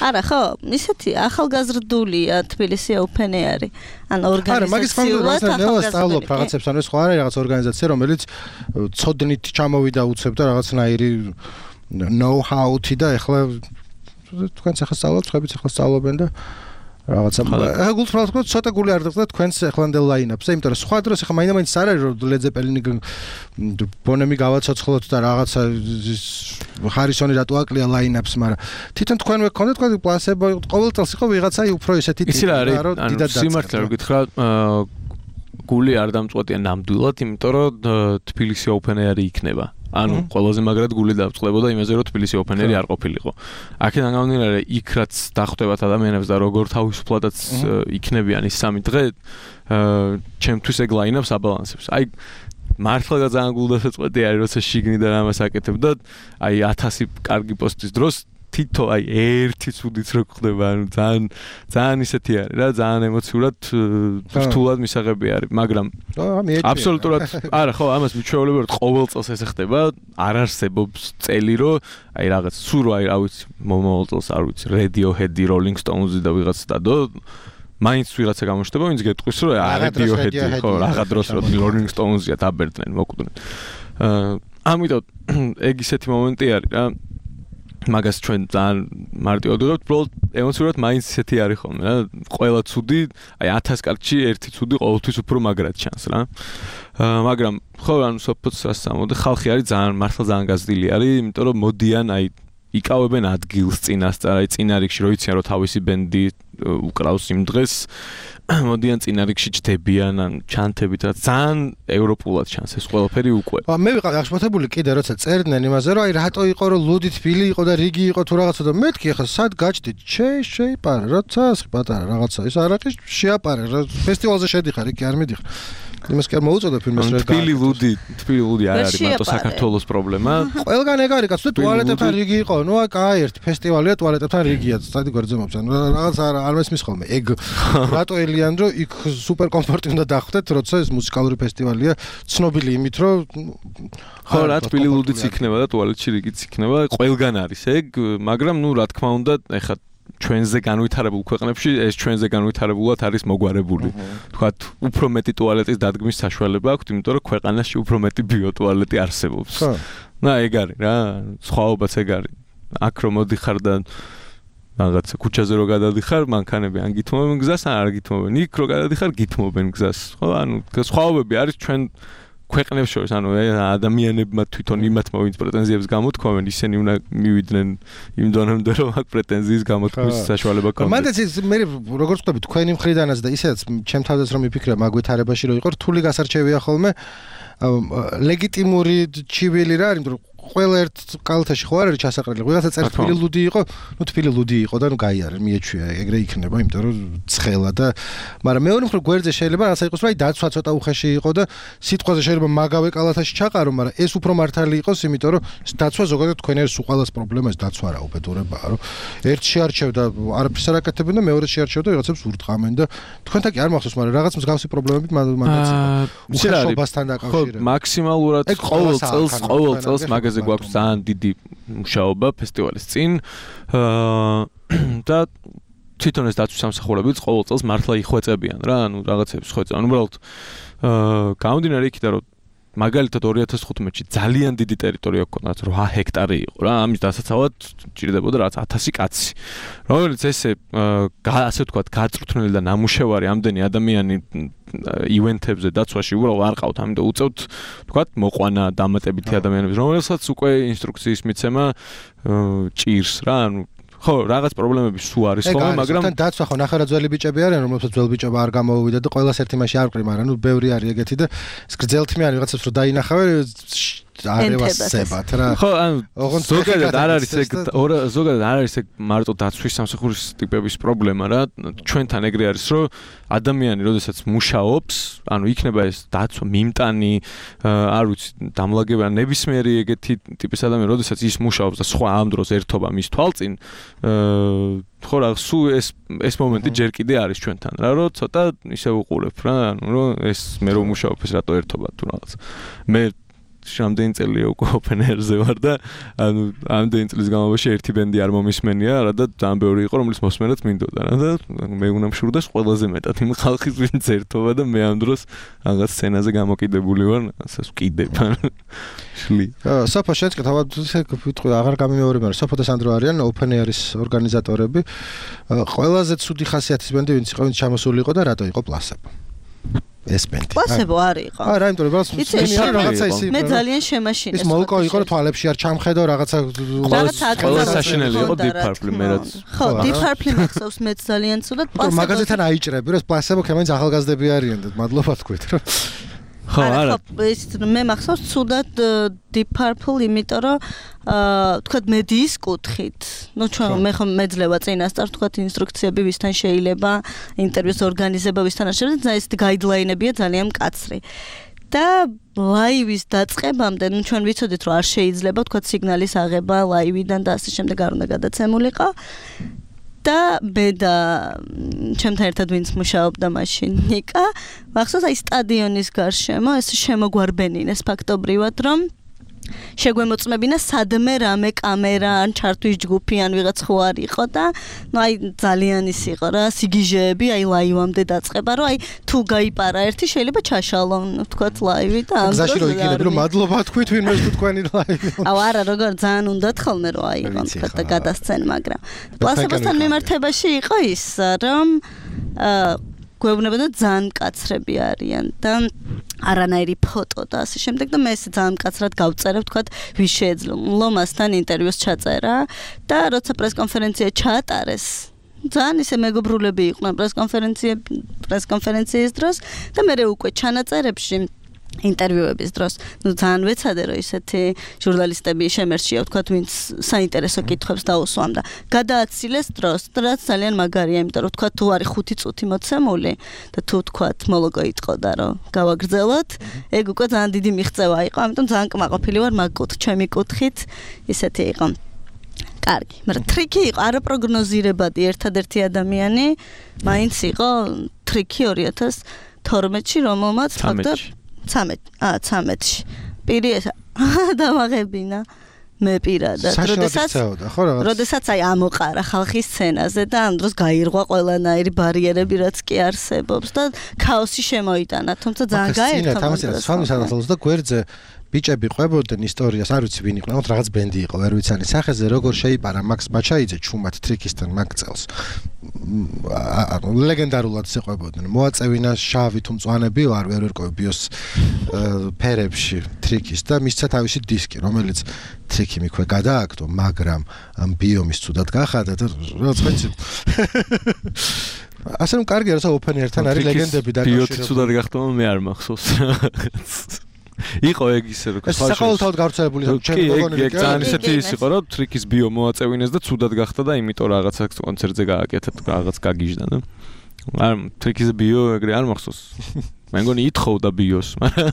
არა ხო ისეთი ახალგაზრდულია თბილისი ოპენი არის ან ორგანიზაციულად ახალგაზრდები რაღაცებს ან ეს ხო არის რაღაც ორგანიზაცია რომელიც ცოდნით ჩამოვიდა უცებ და რაღაცნაირი know-how-თი და ეხლა თქვენც ახლა სწავლობთ ხებიც ახლა სწავლობენ და რაღაცა ახლა გულწრფელად ვთქვათ ცოტა გული არ დაგწყდა თქვენს ახლანდელ ლაინაპზე, იმიტომ რომ სხვა დროს ახლა მაინდა-მაინც არ არის რომ Led Zeppelin-ი ბონემი გავაცოცხლოთ და რაღაცა ჰარისონი რატო აკლია ლაინაპს, მაგრამ თვითონ თქვენვე გქონდეთ თქვენ პლასებო ყოველ წელს იყო ვიღაცა უფრო ესეთი ტიპი რა რომ დიდად დაწყდა. სიმართლე რომ გითხრა გული არ დამწყვეტია ნამდვილად, იმიტომ რომ თბილისი Open Air-ი იქნება. ანუ ყველაზე მაგრად გული დავწყდებოდა იმაზე რომ თბილისი Open Air-ი არ ყოფილიყო. აქედან გამომდინარე იქ რაც დახვდებათ ადამიანებს და როგორ თავისუფლადაც იქნებიან ის სამი დღე, ჩემთვის ეგ ლაინაპს აბალანსებს. აი მართლა ძალიან გულდასაწყვეტი არის როცა შიგნიდან ამას აკეთებ და აი ათასი კარგი პოსტის დროს თითო აი ერთი ცუდიც რო ხდება, ანუ ძალიან ძალიან ისეთი არის რა, ძალიან ემოციურად რთულად მისაღები არის, მაგრამ აბსოლუტურად არა ხო, ამას მიჩვეულებია რომ ყოველ წელს ესე ხდება, არ არსებობს წელი რომ აი რაღაც სულ აი რა ვიცი, მომავალ წელს არ ვიცი, Radiohead-ი, Rolling Stones-ი და ვიღაც დადო მაინც ვიღაცა გამოჩნდება, ვინც გეტყვის რომ Radiohead-ი ხო, რაღაც დროს რომ Rolling Stones-ია დაბერდნენ, მოკვდნენ. ამიტომ ეგ ისეთი მომენტი არის რა მაგას ჩვენ ძალიან მარტივად ვიღებთ, უბრალოდ ემოციურად მაინც ისეთი არის ხოლმე რა. ყველა ცუდი, აი ათას კაცში ერთი ცუდი ყოველთვის უფრო მაგრად ჩანს რა. მაგრამ ხო, ანუ სოფოც ასამოდე, ხალხი არის ძალიან მართლა ძალიან გაზრდილი არის, იმიტომ რომ მოდიან აი იკავებენ ადგილს წინასწარ, აი წინა რიგში რო იციან რომ თავისი ბენდი უკრავს იმ დღეს, მოდიან წინა რიგში ჩდებიან, ან ჩანთებით რა ძალიან ევროპულად ჩანს ეს ყველაფერი უკვე. მე ვიყავ აღშფოთებული კიდე როცა წერდნენ იმაზე რომ აი რატო იყო რომ ლუდი თბილი იყო და რიგი იყო თუ რაღაცა და მეთქი ახლა სად გაჩდით? შე შეიპარა, როცა პატარა რაღაცა ის არაკი შეაპარე რა ფესტივალზე შედიხარ, იქ არ მიდიხარ. იმას კი არ მოუწოდა ფილმს რა. თბილი ლუდი, თბილი ლუდი არ არის მარტო საქართველოს პრობლემა. ყველგან ეგ არის კაცო, ტუალეტებთან რიგი იყო. ნუ აი ერთი ფესტივალია ტუალეტებთან რიგია, სტადი გვერდზემობს. ანუ რაღაც არ მესმის ხოლმე. ეგ რატო ელიან რომ იქ სუპერ კომფორტი უნდა დახვდეთ, როცა ეს მუსიკალური ფესტივალია, ცნობილი იმით რომ ხო რა თბილი ლუდიც იქნება და ტუალეტში რიგიც იქნება. ყველგან არის ეგ, მაგრამ ნუ რა თქმა უნდა, ეხლა ჩვენზე განვითარებულ ქვეყნებში ეს ჩვენზე განვითარებულად არის მოგვარებული. თქვათ, უფრო მეტი ტუალეტის დადგმის საშუალება აქვს, იმიტომ რომ ქვეყანაში უფრო მეტი ბიოტუალეტი არსებობს. და ეგ არის რა, სხვაობაც ეგ არის. აქ რომ მოდიხარ და რაღაცა ქუჩაზე რო გადადიხარ, მანქანები ან გითმობენ გზას, ან არ გითმობენ. იქ რო გადადიხარ, გითმობენ გზას. ხო, ანუ სხვაობები არის ჩვენ ქვეყნებს შორის, ანუ ადამიანებმა თვითონ იმათმა ვინც პრეტენზიებს გამოთქვამენ, ისინი უნდა მივიდნენ იმ დონემდე, რომ აქ პრეტენზიის გამოთქმის საშუალება ქონდეს. მანდაც მე როგორც ვთქვი, თქვენი მხრიდანაც და ისედაც ჩემ თავზეც რომ მიფიქრე მაგვითარებაში რომ იყო რთული გასარჩევია ხოლმე ლეგიტიმური ჩივილი რა არის, იმიტომ რომ ყველა ერთ კალთაში ხო არ არის ჩასაყრელი. ვიღაცა წერს თბილი ლუდი იყო, ნუ თბილი ლუდი იყო და ნუ გაიარე, მიეჩვია, ეგრე იქნება, იმიტომ რომ ცხელა და მაგრამ მეორე მხრივ გვერდზე შეიძლება რაღაცა იყოს, რომ აი დაცვა ცოტა უხეში იყო და სიტყვაზე შეიძლება მაგავე კალათაში ჩაყარო, მაგრამ ეს უფრო მართალი იყოს, იმიტომ რომ დაცვა ზოგადად თქვენ არის უყალას პრობლემა, ეს დაცვა რა უბედურებაა, რომ ერთ შეარჩევ და არაფერს არ აკეთებენ და მეორე შეარჩევ და ვიღაცებს ურტყამენ და თქვენთან კი არ მახსოვს, მაგრამ რაღაც მსგავსი პრობლემები მანდაც იყო. უხეშობასთან დაკავშირებით. ხო, მაქსიმალურად ყოველ წელს, ყოველ წელს მაგაზე გვაქვს ძალიან დიდი მუშაობა ფესტივალის წინ და თვითონ ეს დაცვის სამსახურებიც ყოველ წელს მართლა იხვეწებიან რა, ანუ რაღაცებს ხვეწებიან. უბრალოდ გამომდინარე იქიდან, რომ მაგალითად ორი ათას ხუთმეტში ძალიან დიდი ტერიტორია ჰქონდათ, რვა ჰექტარი იყო რა, ამის დასაცავად ჭირდებოდა რაღაც ათასი კაცი. რომელიც ესე ასე ვთქვათ, გაწვრთნილი და ნამუშევარი ამდენი ადამიანი ივენთებზე დაცვაში უბრალოდ არ ყავთ, ამიტომ უწევთ ვთქვათ, მოყვანა დამატებითი ადამიანების, რომელსაც უკვე ინსტრუქციის მიცემა ჭირს რა, ანუ ხო, რაღაც პრობლემები სულ არის ხოლმე, მაგრამ თან დაცვა ხო ნახევრად ძველი ბიჭები არიან, რომელსაც ძველ ბიჭობა არ გამოუვიდა და ყველას ერთი მასში არ ყრი, მაგრამ ნუ ბევრი არის ეგეთი და ეს გრძელთმიანი რაღაცებს რო დაინახავე არევასებათ რა. ხო, ანუ ზოგადად არ არის ეგ ზოგადად არ არის ეგ მარტო დაცვის სამსახურის ტიპების პრობლემა რა. ჩვენთან ეგრე არის, რომ ადამიანი, როდესაც მუშაობს, ანუ იქნება ეს დაცვა, მიმტანი, არ ვიცი, დამლაგება, ნებისმიერი ეგეთი ტიპის ადამიანი, როდესაც ის მუშაობს და სხვა ამ დროს ერთობა მის თვალწინ, ხო რა, სულ ეს ეს მომენტი ჯერ კიდე არის ჩვენთან რა, რომ ცოტა ისე უყურებ რა, ანუ რომ ეს მე რომ მუშაობ ეს რატო ერთობა თუ რაღაც. მე რამდენი წელია უკვე open air-ზე ვარ და ანუ ამდენი წლის განმავლობაში ერთი ბენდი არ მომისმენია რა და ძალიან ბევრი იყო რომლის მოსმენაც მინდოდა რა და მე უნდა მშურდეს ყველაზე მეტად იმ ხალხის ვინც ერთობა და მე ამ დროს რაღაც სცენაზე გამოკიდებული ვარ, ասას ვკიდებ. შლი. საფა შეწყეთ, ალბათ ისე ვიტყვი, აღარ გამიმეორებ, მაგრამ საფა და სანდრო არიან open air-ის ორგანიზატორები. ყველაზე ცუდი ხასიათის ბენდი ვინც იყო, ვინც ჩამოსული იყო და რატო იყო პლასებო? ეს ბენდი. პლასებო არ იყო. აა რა, იმიტომ რომ რაღაცა ისი. მე ძალიან შემაშინეს. ის მოლკო იყო, რომ თვალებში არ ჩამხედო რაღაცა ყველა საშინელი იყო Deep Purple მე რაც. ხო, Deep Purple მახსოვს მეც ძალიან ცუდად პლასებო. მაგაზეთან აიჭრები, რომ პლასებო ქემაინც ახალგაზრდები არიან და მადლობა თქვით რა. ხო, არა. ეს მე მახსოვს ცუდად Deep Purple, იმიტომ რომ აა თქვათ მედიის კუთხით. ნუ ჩვენ მე ხომ მეძლევა წინასწარ თქვათ ინსტრუქციები ვისთან შეიძლება ინტერვიუს ორგანიზება ვისთან არ შეიძლება, ეს გაიდლაინებია ძალიან მკაცრი. და ლაივის დაწყებამდე, ნუ ჩვენ ვიცოდით რომ არ შეიძლება თქვათ სიგნალის აღება ლაივიდან და ასე შემდეგ არ უნდა გადაცემულიყო. და მე და ჩემთან ერთად ვინც მუშაობდა მაშინ ნიკა, მახსოვს აი სტადიონის გარშემო ეს შემოგვარბენინეს ფაქტობრივად, რომ შეგვემოწმებინა სადმე რამე კამერა ან ჩართვის ჯგუფი ან ვიღაც ხო არ იყო და ნუ აი ძალიან ის იყო რა, სიგიჟეები აი ლაივამდე დაწყება, რომ აი თუ გაიპარა ერთი შეიძლება ჩაშალონ თქვათ ლაივი და ამ გზაში რო იგინები რომ მადლობა თქვით ვინმეს თუ თქვენი ლაივი. აუ არა, როგორ ძალიან უნდათ ხოლმე რომ აიღონ თქვათ და გადასცენ, მაგრამ პლასებოსთან მიმართებაში იყო ის რომ აა გვეუბნებოდა ძალიან მკაცრები არიან და არანაირი ფოტო და ასე შემდეგ და მე ეს ძალიან მკაცრად გავწერებ თქვათ ვის შეეძლო მასთან ინტერვიუს ჩაწერა და როცა პრესკონფერენცია ჩაატარეს ძალიან ისე მეგობრულები იყვნენ პრესკონფერენცია პრესკონფერენციის დროს და მე უკვე ჩანაწერებში ინტერვიუების დროს ნუ ძალიან ვეცადე რომ ისეთი ჟურნალისტები შემერჩია ვთქვათ ვინც საინტერესო კითხვებს დაუსვამ და გადააცილეს დროს რაც ძალიან მაგარია, იმიტომ რომ ვთქვათ თუ არის ხუთი წუთი მოცემული და თუ ვთქვათ მოლოგო იტყოდა რომ გავაგრძელოთ, ეგ უკვე ძალიან დიდი მიღწევა იყო, ამიტომ ძალიან კმაყოფილი ვარ მაგ კუთხით, ჩემი კუთხით ისეთი იყო. კარგი, მაგრამ ტრიკი იყო არაპროგნოზირებადი, ერთადერთი ადამიანი მაინც იყო ტრიკი ორი ათას თორმეტში, რომელმაც ფაქტობრივად ცამეტ, აა ცამეტში. პირი ეს დამაღებინა მე პირადად. როდესაც როდესაც აი ამოყარა ხალხის სცენაზე და ამ დროს გაირღვა ყველანაირი ბარიერები, რაც კი არსებობს და ქაოსი შემოიტანა, თუმცა ძალიან გაერთო. თამაშს სამი სადღაც და გვერდზე ბიჭები ყვებოდნენ ისტორიას, არ ვიცი ვინ იყო, მაგრამ რაღაც ბენდი იყო, ვერ ვიცანი სახეზე, როგორ შეიპარა მაქს მაჩაიძე ჩუმად ტრიკისთან მაგ წელს. ანუ ლეგენდარულად შეყვებოდნენ. მოაწევინა შავი თუ მწვანე ბიო, არ ვერ ვერკოვე ბიოს ფერებში ტრიკის და მისცა თავისი დისკი, რომელიც ტრიკი მიქვე გადააგდო, მაგრამ ამ ბიომის ცუდად გახადა და რაც ხეცი. ასე რომ კარგი არის open air-თან არის ლეგენდები ბიო დაკავშირებული. ცუდად გახდა, მე არ მახსოვს. იყო ეგ ისე რომ საყოველთაოდ გავრცელებული ჩემი გოგონა კი ძალიან ისეთი ის იყო რომ ტრიკის ბიო მოაწევინეს და ცუდად გახდა და იმიტომ რაღაცა კონცერტზე გააკეთა რაღაც გაგიჟდა და არ ტრიკის ბიო ეგრე არ მახსოვს მე მგონი ითხოვდა ბიოს მაგრამ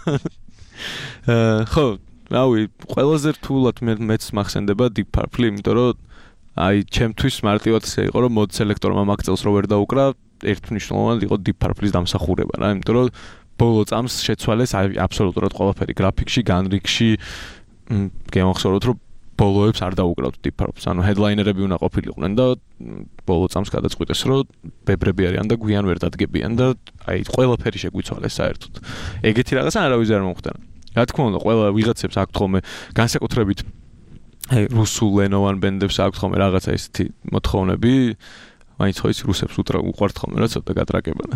ხო რავი ყველაზე რთულად მეც მახსენდება Deep Purple იმიტომ რომ აი ჩემთვის მარტივად ისე იყო რომ მოდ სელექტორმა მაგ წელს რო ვერ დაუკრა ერთმნიშვნელოვნად იყო Deep Purple-ის დამსახურება რა იმიტომ რომ ბოლო წამს შეცვალეს აბსოლუტურად ყველაფერი გრაფიკში, განრიგში, გემახსოვროთ რომ ბოლოებს არ დაუკრავთ დიფარობს. ანუ ჰედლაინერები უნდა ყოფილიყვნენ და ბოლო წამს გადაწყვიტეს, რომ ბებრები არიან და გვიან ვერ დადგებიან და აი ყველაფერი შეგვიცვალეს საერთოდ. ეგეთი რაღაცა არავის არ მომხდარა. რა თქმა უნდა, ყველა ვიღაცებს აქვთ ხოლმე განსაკუთრებით აი რუსულ ენოვან ბენდებს აქვთ ხოლმე რაღაცა ისეთი მოთხოვნები. მაინც ხო ის რუსებს უყვართ ხოლმე რა ცოტა გატრაკებანა.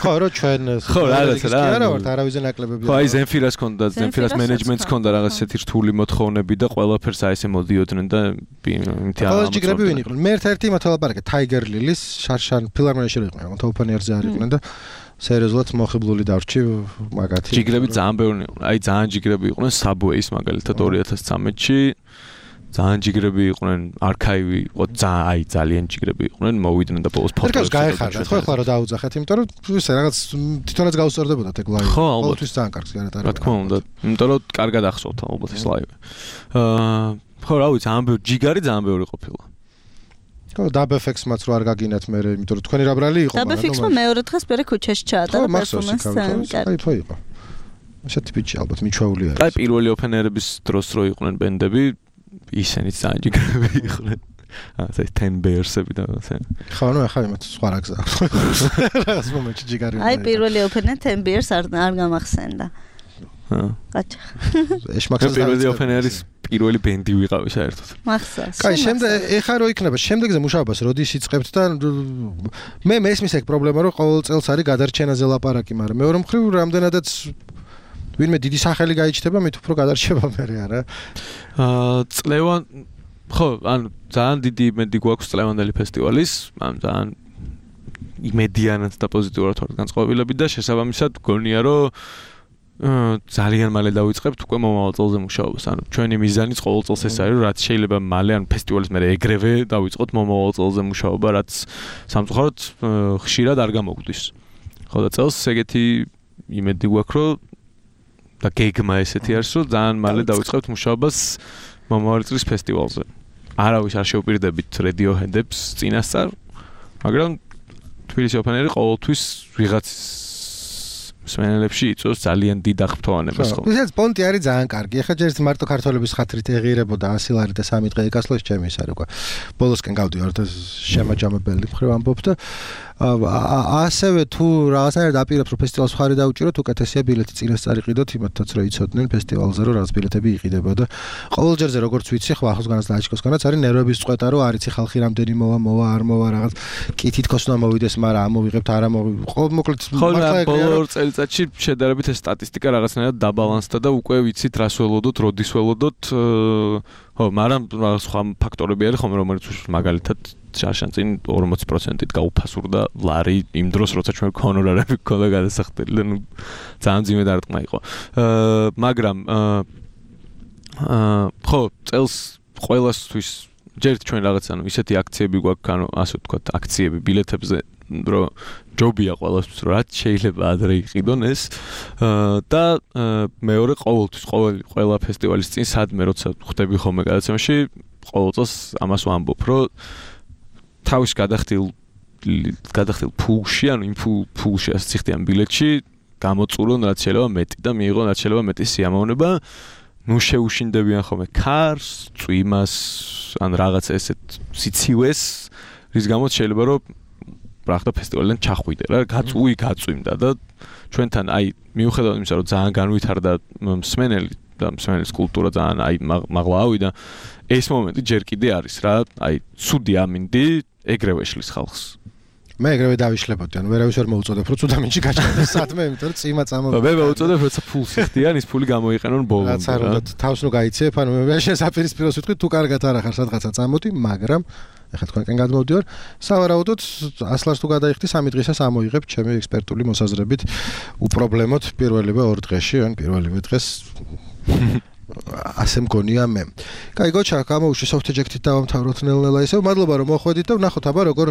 ხო, რომ ჩვენ ხო, რაღაცა რა. არა ვართ არავის ნაკლებები. ხო, აი ზენფირას ქონდა, ზენფირას მენეჯმენტს ქონდა რაღაც ესეთი რთული მოთხოვნები და ყველაფერს აი ესე მოდიოდნენ და იმითი არ ამოწმდნენ. ჯიგრები ვინ იყვნენ? მე ერთ-ერთი იმათ ელაპარაკე, Tiger Lilies, შარშან ფილარმონიაში იყვნენ, მაგრამ ოპენიერზე არ იყვნენ და სერიოზულად მოხიბლული დავრჩი მაგათი. ჯიგრები ძალიან ბევრი იყვნენ. აი ძალიან ჯიგრები იყვნენ Subway-ის მაგალითად ორი ათას ცხრამეტში. ძალიან ჯიგრები იყვნენ, არქაივი, იყო ძალიან აი ძალიან ჯიგრები იყვნენ, მოვიდნენ და ბოლოს ფოტოებს გაეხარდათ, ხო, ახლა რა დაუძახეთ, იმიტომ რომ ისე რაღაც თვითონაც გაუსწორდებოდათ ეგ ლაივი. ყოველთვის ძალიან კარგს განატარებდა. რა თქმა უნდა, იმიტომ რომ კარგად ახსოვთ ალბათ ეს ლაივი. აა, ხო, რა ვიცი, ძალიან ბევრი ჯიგარი ძალიან ბევრი ყოფილა. ხო, დაბეფექსმაც რო არ გაგინათ მე, იმიტომ რომ თქვენი რა ბრალი იყო, მაგრამ დაბეფექსმა მეორე დღეს პერე ქუჩაში ჩაატარა პერსონაჟს. აი, ხო იყო. ესეთი ბიჭი ალბათ მიჩვეული არის. აი, პირველი ოპენერების დროს რო იყვნენ ბენდები ისინი ძალიან ჯიგრები იყვნენ. ასე ten bears-ები და ასე. ხო, ნუ ახლა იმათ სხვა რა გზაა. რაღაც მომენტში ჯიგარი. აი, პირველი ოპენერი ten bears არ არ გამახსენდა. ჰა. კაჭა. ეშმაკსაც პირველი ოპენერის პირველი ბენდი ვიყავი საერთოდ. მახსოვს. კაი, შემდეგ ეხა რო იქნება, შემდეგზე მუშაობას როდის იწყებთ და მე მესმის ეგ პრობლემა რომ ყოველ წელს არის გადარჩენაზე ლაპარაკი, მაგრამ მეორე მხრივ რამდენადაც ვინმე დიდი სახელი გაიჩნდება, მით უფრო გადარჩება მე არა. აა წლევან ხო, ანუ ძალიან დიდი იმედი გვაქვს წლევანდელი ფესტივალის, ანუ ძალიან იმედიანად და პოზიტიურად ვართ განწყობილები და შესაბამისად გონია რომ ძალიან მალე დავიწყებთ უკვე მომავალ წელზე მუშაობას. ანუ ჩვენი მიზანიც ყოველ წელს ეს არის, რაც შეიძლება მალე ან ფესტივალის მერე ეგრევე დავიწყოთ მომავალ წელზე მუშაობა, რაც სამწუხაროდ ხშირად არ გამოგვდის. ხო და წელს ეგეთი იმედი გვაქვს რომ და გეგმა ესეთი არის, რომ ძალიან მალე დავიწყებთ მუშაობას მომავალი წლის ფესტივალზე. არავის არ შეუპირდებით Radiohead-ებს წინასწარ, მაგრამ თბილისი ოპენერი ყოველთვის ვიღაც მსმენელებში იწვევს ძალიან დიდ აღფრთოვანებას ხოლმე. ისეც პონტი არის ძალიან კარგი. ახლა ჯერ მარტო ქართველების ხათრით ეღირებოდა ასი ლარი და სამი დღე ეკასლოს ჩემი ის არის უკვე. ბოლოსკენ გავდივარ და შემაჯამებელი მხრივ ამბობ და ასევე თუ რაღაცნაირად აპირებს რომ ფესტივალს ხარი დაუჭიროთ, უკეთესია ბილეთი წინასწარ იყიდოთ, იმათაც რომ იცოდნენ ფესტივალზე რომ რაღაც ბილეთები იყიდება და ყოველჯერზე როგორც ვიცი, ხო ახლოს განაც დააჩიკოსგანაც არის ნერვების წვეტა რომ არიცი ხალხი რამდენი მოვა, მოვა, არ მოვა რაღაც კი თითქოს უნდა მოვიდეს, მაგრამ ამოვიღებთ, არ ამოვიღებთ. ყოველ მოკლედ მართლა ეგრეა რომ წელიწადში შედარებით ეს სტატისტიკა რაღაცნაირად დაბალანსდა და უკვე ვიცით რას ველოდოთ, როდის ველოდოთ. ხო, მაგრამ რაღაც სხვა ფაქტორები არის ხომ, რომელიც მაგალითად შარშან წინ ორმოცი პროცენტით გაუფასურდა ლარი იმ დროს, როცა ჩვენ ჰონორარები გქონდა გადასახდელი და ნუ ძალიან ძიმე დარტყმა იყო. აა მაგრამ აა ხო, წელს ყველასთვის ჯერ ჩვენ რაღაც ანუ ისეთი აქციები გვაქვს, ანუ ასე ვთქვათ, აქციები ბილეთებზე, რომ ჯობია ყველასთვის რომ რაც შეიძლება ადრე იყიდონ ეს და მეორე ყოველთვის ყოველ ყველა ფესტივალის წინ სადმე როცა ხვდები ხოლმე გადაცემაში ყოველ წელს ამას ვამბობ რომ თავის გადახდილ გადახდილ ფულში ანუ იმ ფულში ასე ციხდიან ბილეთში გამოწურონ რაც შეიძლება მეტი და მიიღონ რაც შეიძლება მეტი სიამოვნება ნუ შეუშინდებიან ხოლმე ქარს, წვიმას ან რაღაც ესეთ სიცივეს რის გამოც შეიძლება რომ ბრახდა ფესტივალიდან ჩახვიდე რა, გაწუი გაწვიმდა და ჩვენთან აი მიუხედავად იმისა რომ ძალიან განვითარდა მსმენელი და მსმენელის კულტურა ძალიან აი მაღლა ავიდა ეს მომენტი ჯერ კიდე არის რა, აი ცუდი ამინდი ეგრევე შლის ხალხს. მე ეგრევე დავიშლებოდი, ანუ ვერავის ვერ მოუწოდებ რომ ცუდა მინჩი გაჩნდეს სადმე, იმიტომ რომ წიმა წამოვიდა. მე მოუწოდებ როცა ფულს იხდიან, ის ფული გამოიყენონ ბოლომდე. რაც არ უნდა თავს ნუ გაიცეფ, ანუ მე შესაპირისპიროს ვიტყვი თუ კარგად არ ახარ სადღაცა წამოდი, მაგრამ ეხლა თქვენკენ გადმოვდივარ, სავარაუდოდ ასლას თუ გადაიხდი სამი დღისას ამოიღებ ჩემი ექსპერტული მოსაზრებით უპრობლემოდ პირველივე ორ დღეში, ან პირველივე დღეს ასე მგონია მე. კაი, გოჩა, გამოვიშვი soft eject-ით დავამთავროთ ნელ-ნელა ისევ. მადლობა რომ მოხვედით და ვნახოთ აბა როგორ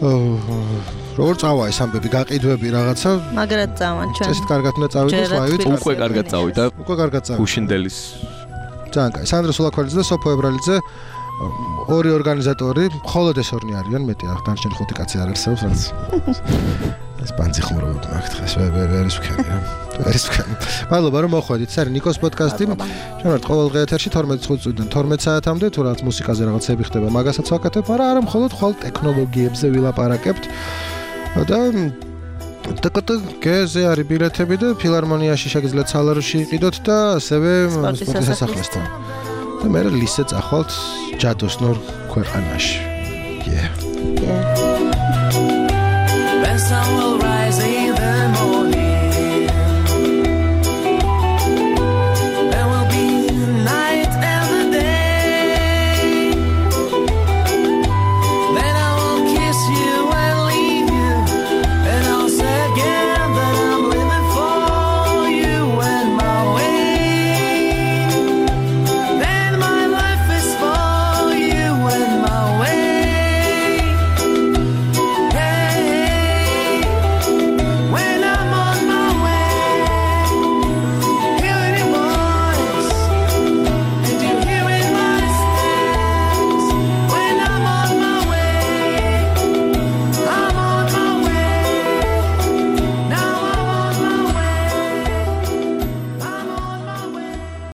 როგორ წავა ეს ამბები, გაყიდვები რაღაცა. მაგრად წავან ჩვენ. წესით კარგად უნდა წავიდეს ლაივით. უკვე კარგად წავიდა. უკვე კარგად წავიდა. უშინდელის. ძალიან კაი. სანდრო სულაქველიძე და სოფო ებრალიძე ორი ორგანიზატორი, მხოლოდ ეს ორნი არიან, მეტი არ დანარჩენი ხუთი კაცი არ არსებობს, რაც ეს პანცი ხმრობთ მაგ დღეს ვერ ვერ ის ვქენი რა. არის მადლობა რომ მოხვედით. ეს არის ნიკოს პოდკასტი. ჩვენ ვართ ყოველდღე ეთერში თორმეტ წუთიდან თორმეტ საათამდე, თუ რაღაც მუსიკაზე რაღაცები ხდება, მაგასაც ვაკეთებ, არა, არა მხოლოდ ხვალ ტექნოლოგიებზე ვილაპარაკებთ. და ტკტ გეზე არის ბილეთები და ფილარმონიაში შეგიძლიათ სალაროში იყიდოთ და ასევე სპორტის სასახლესთან. და მე ლისე წახვალთ ჯადოსნურ ქვეყანაში. Yeah. Yeah. When someone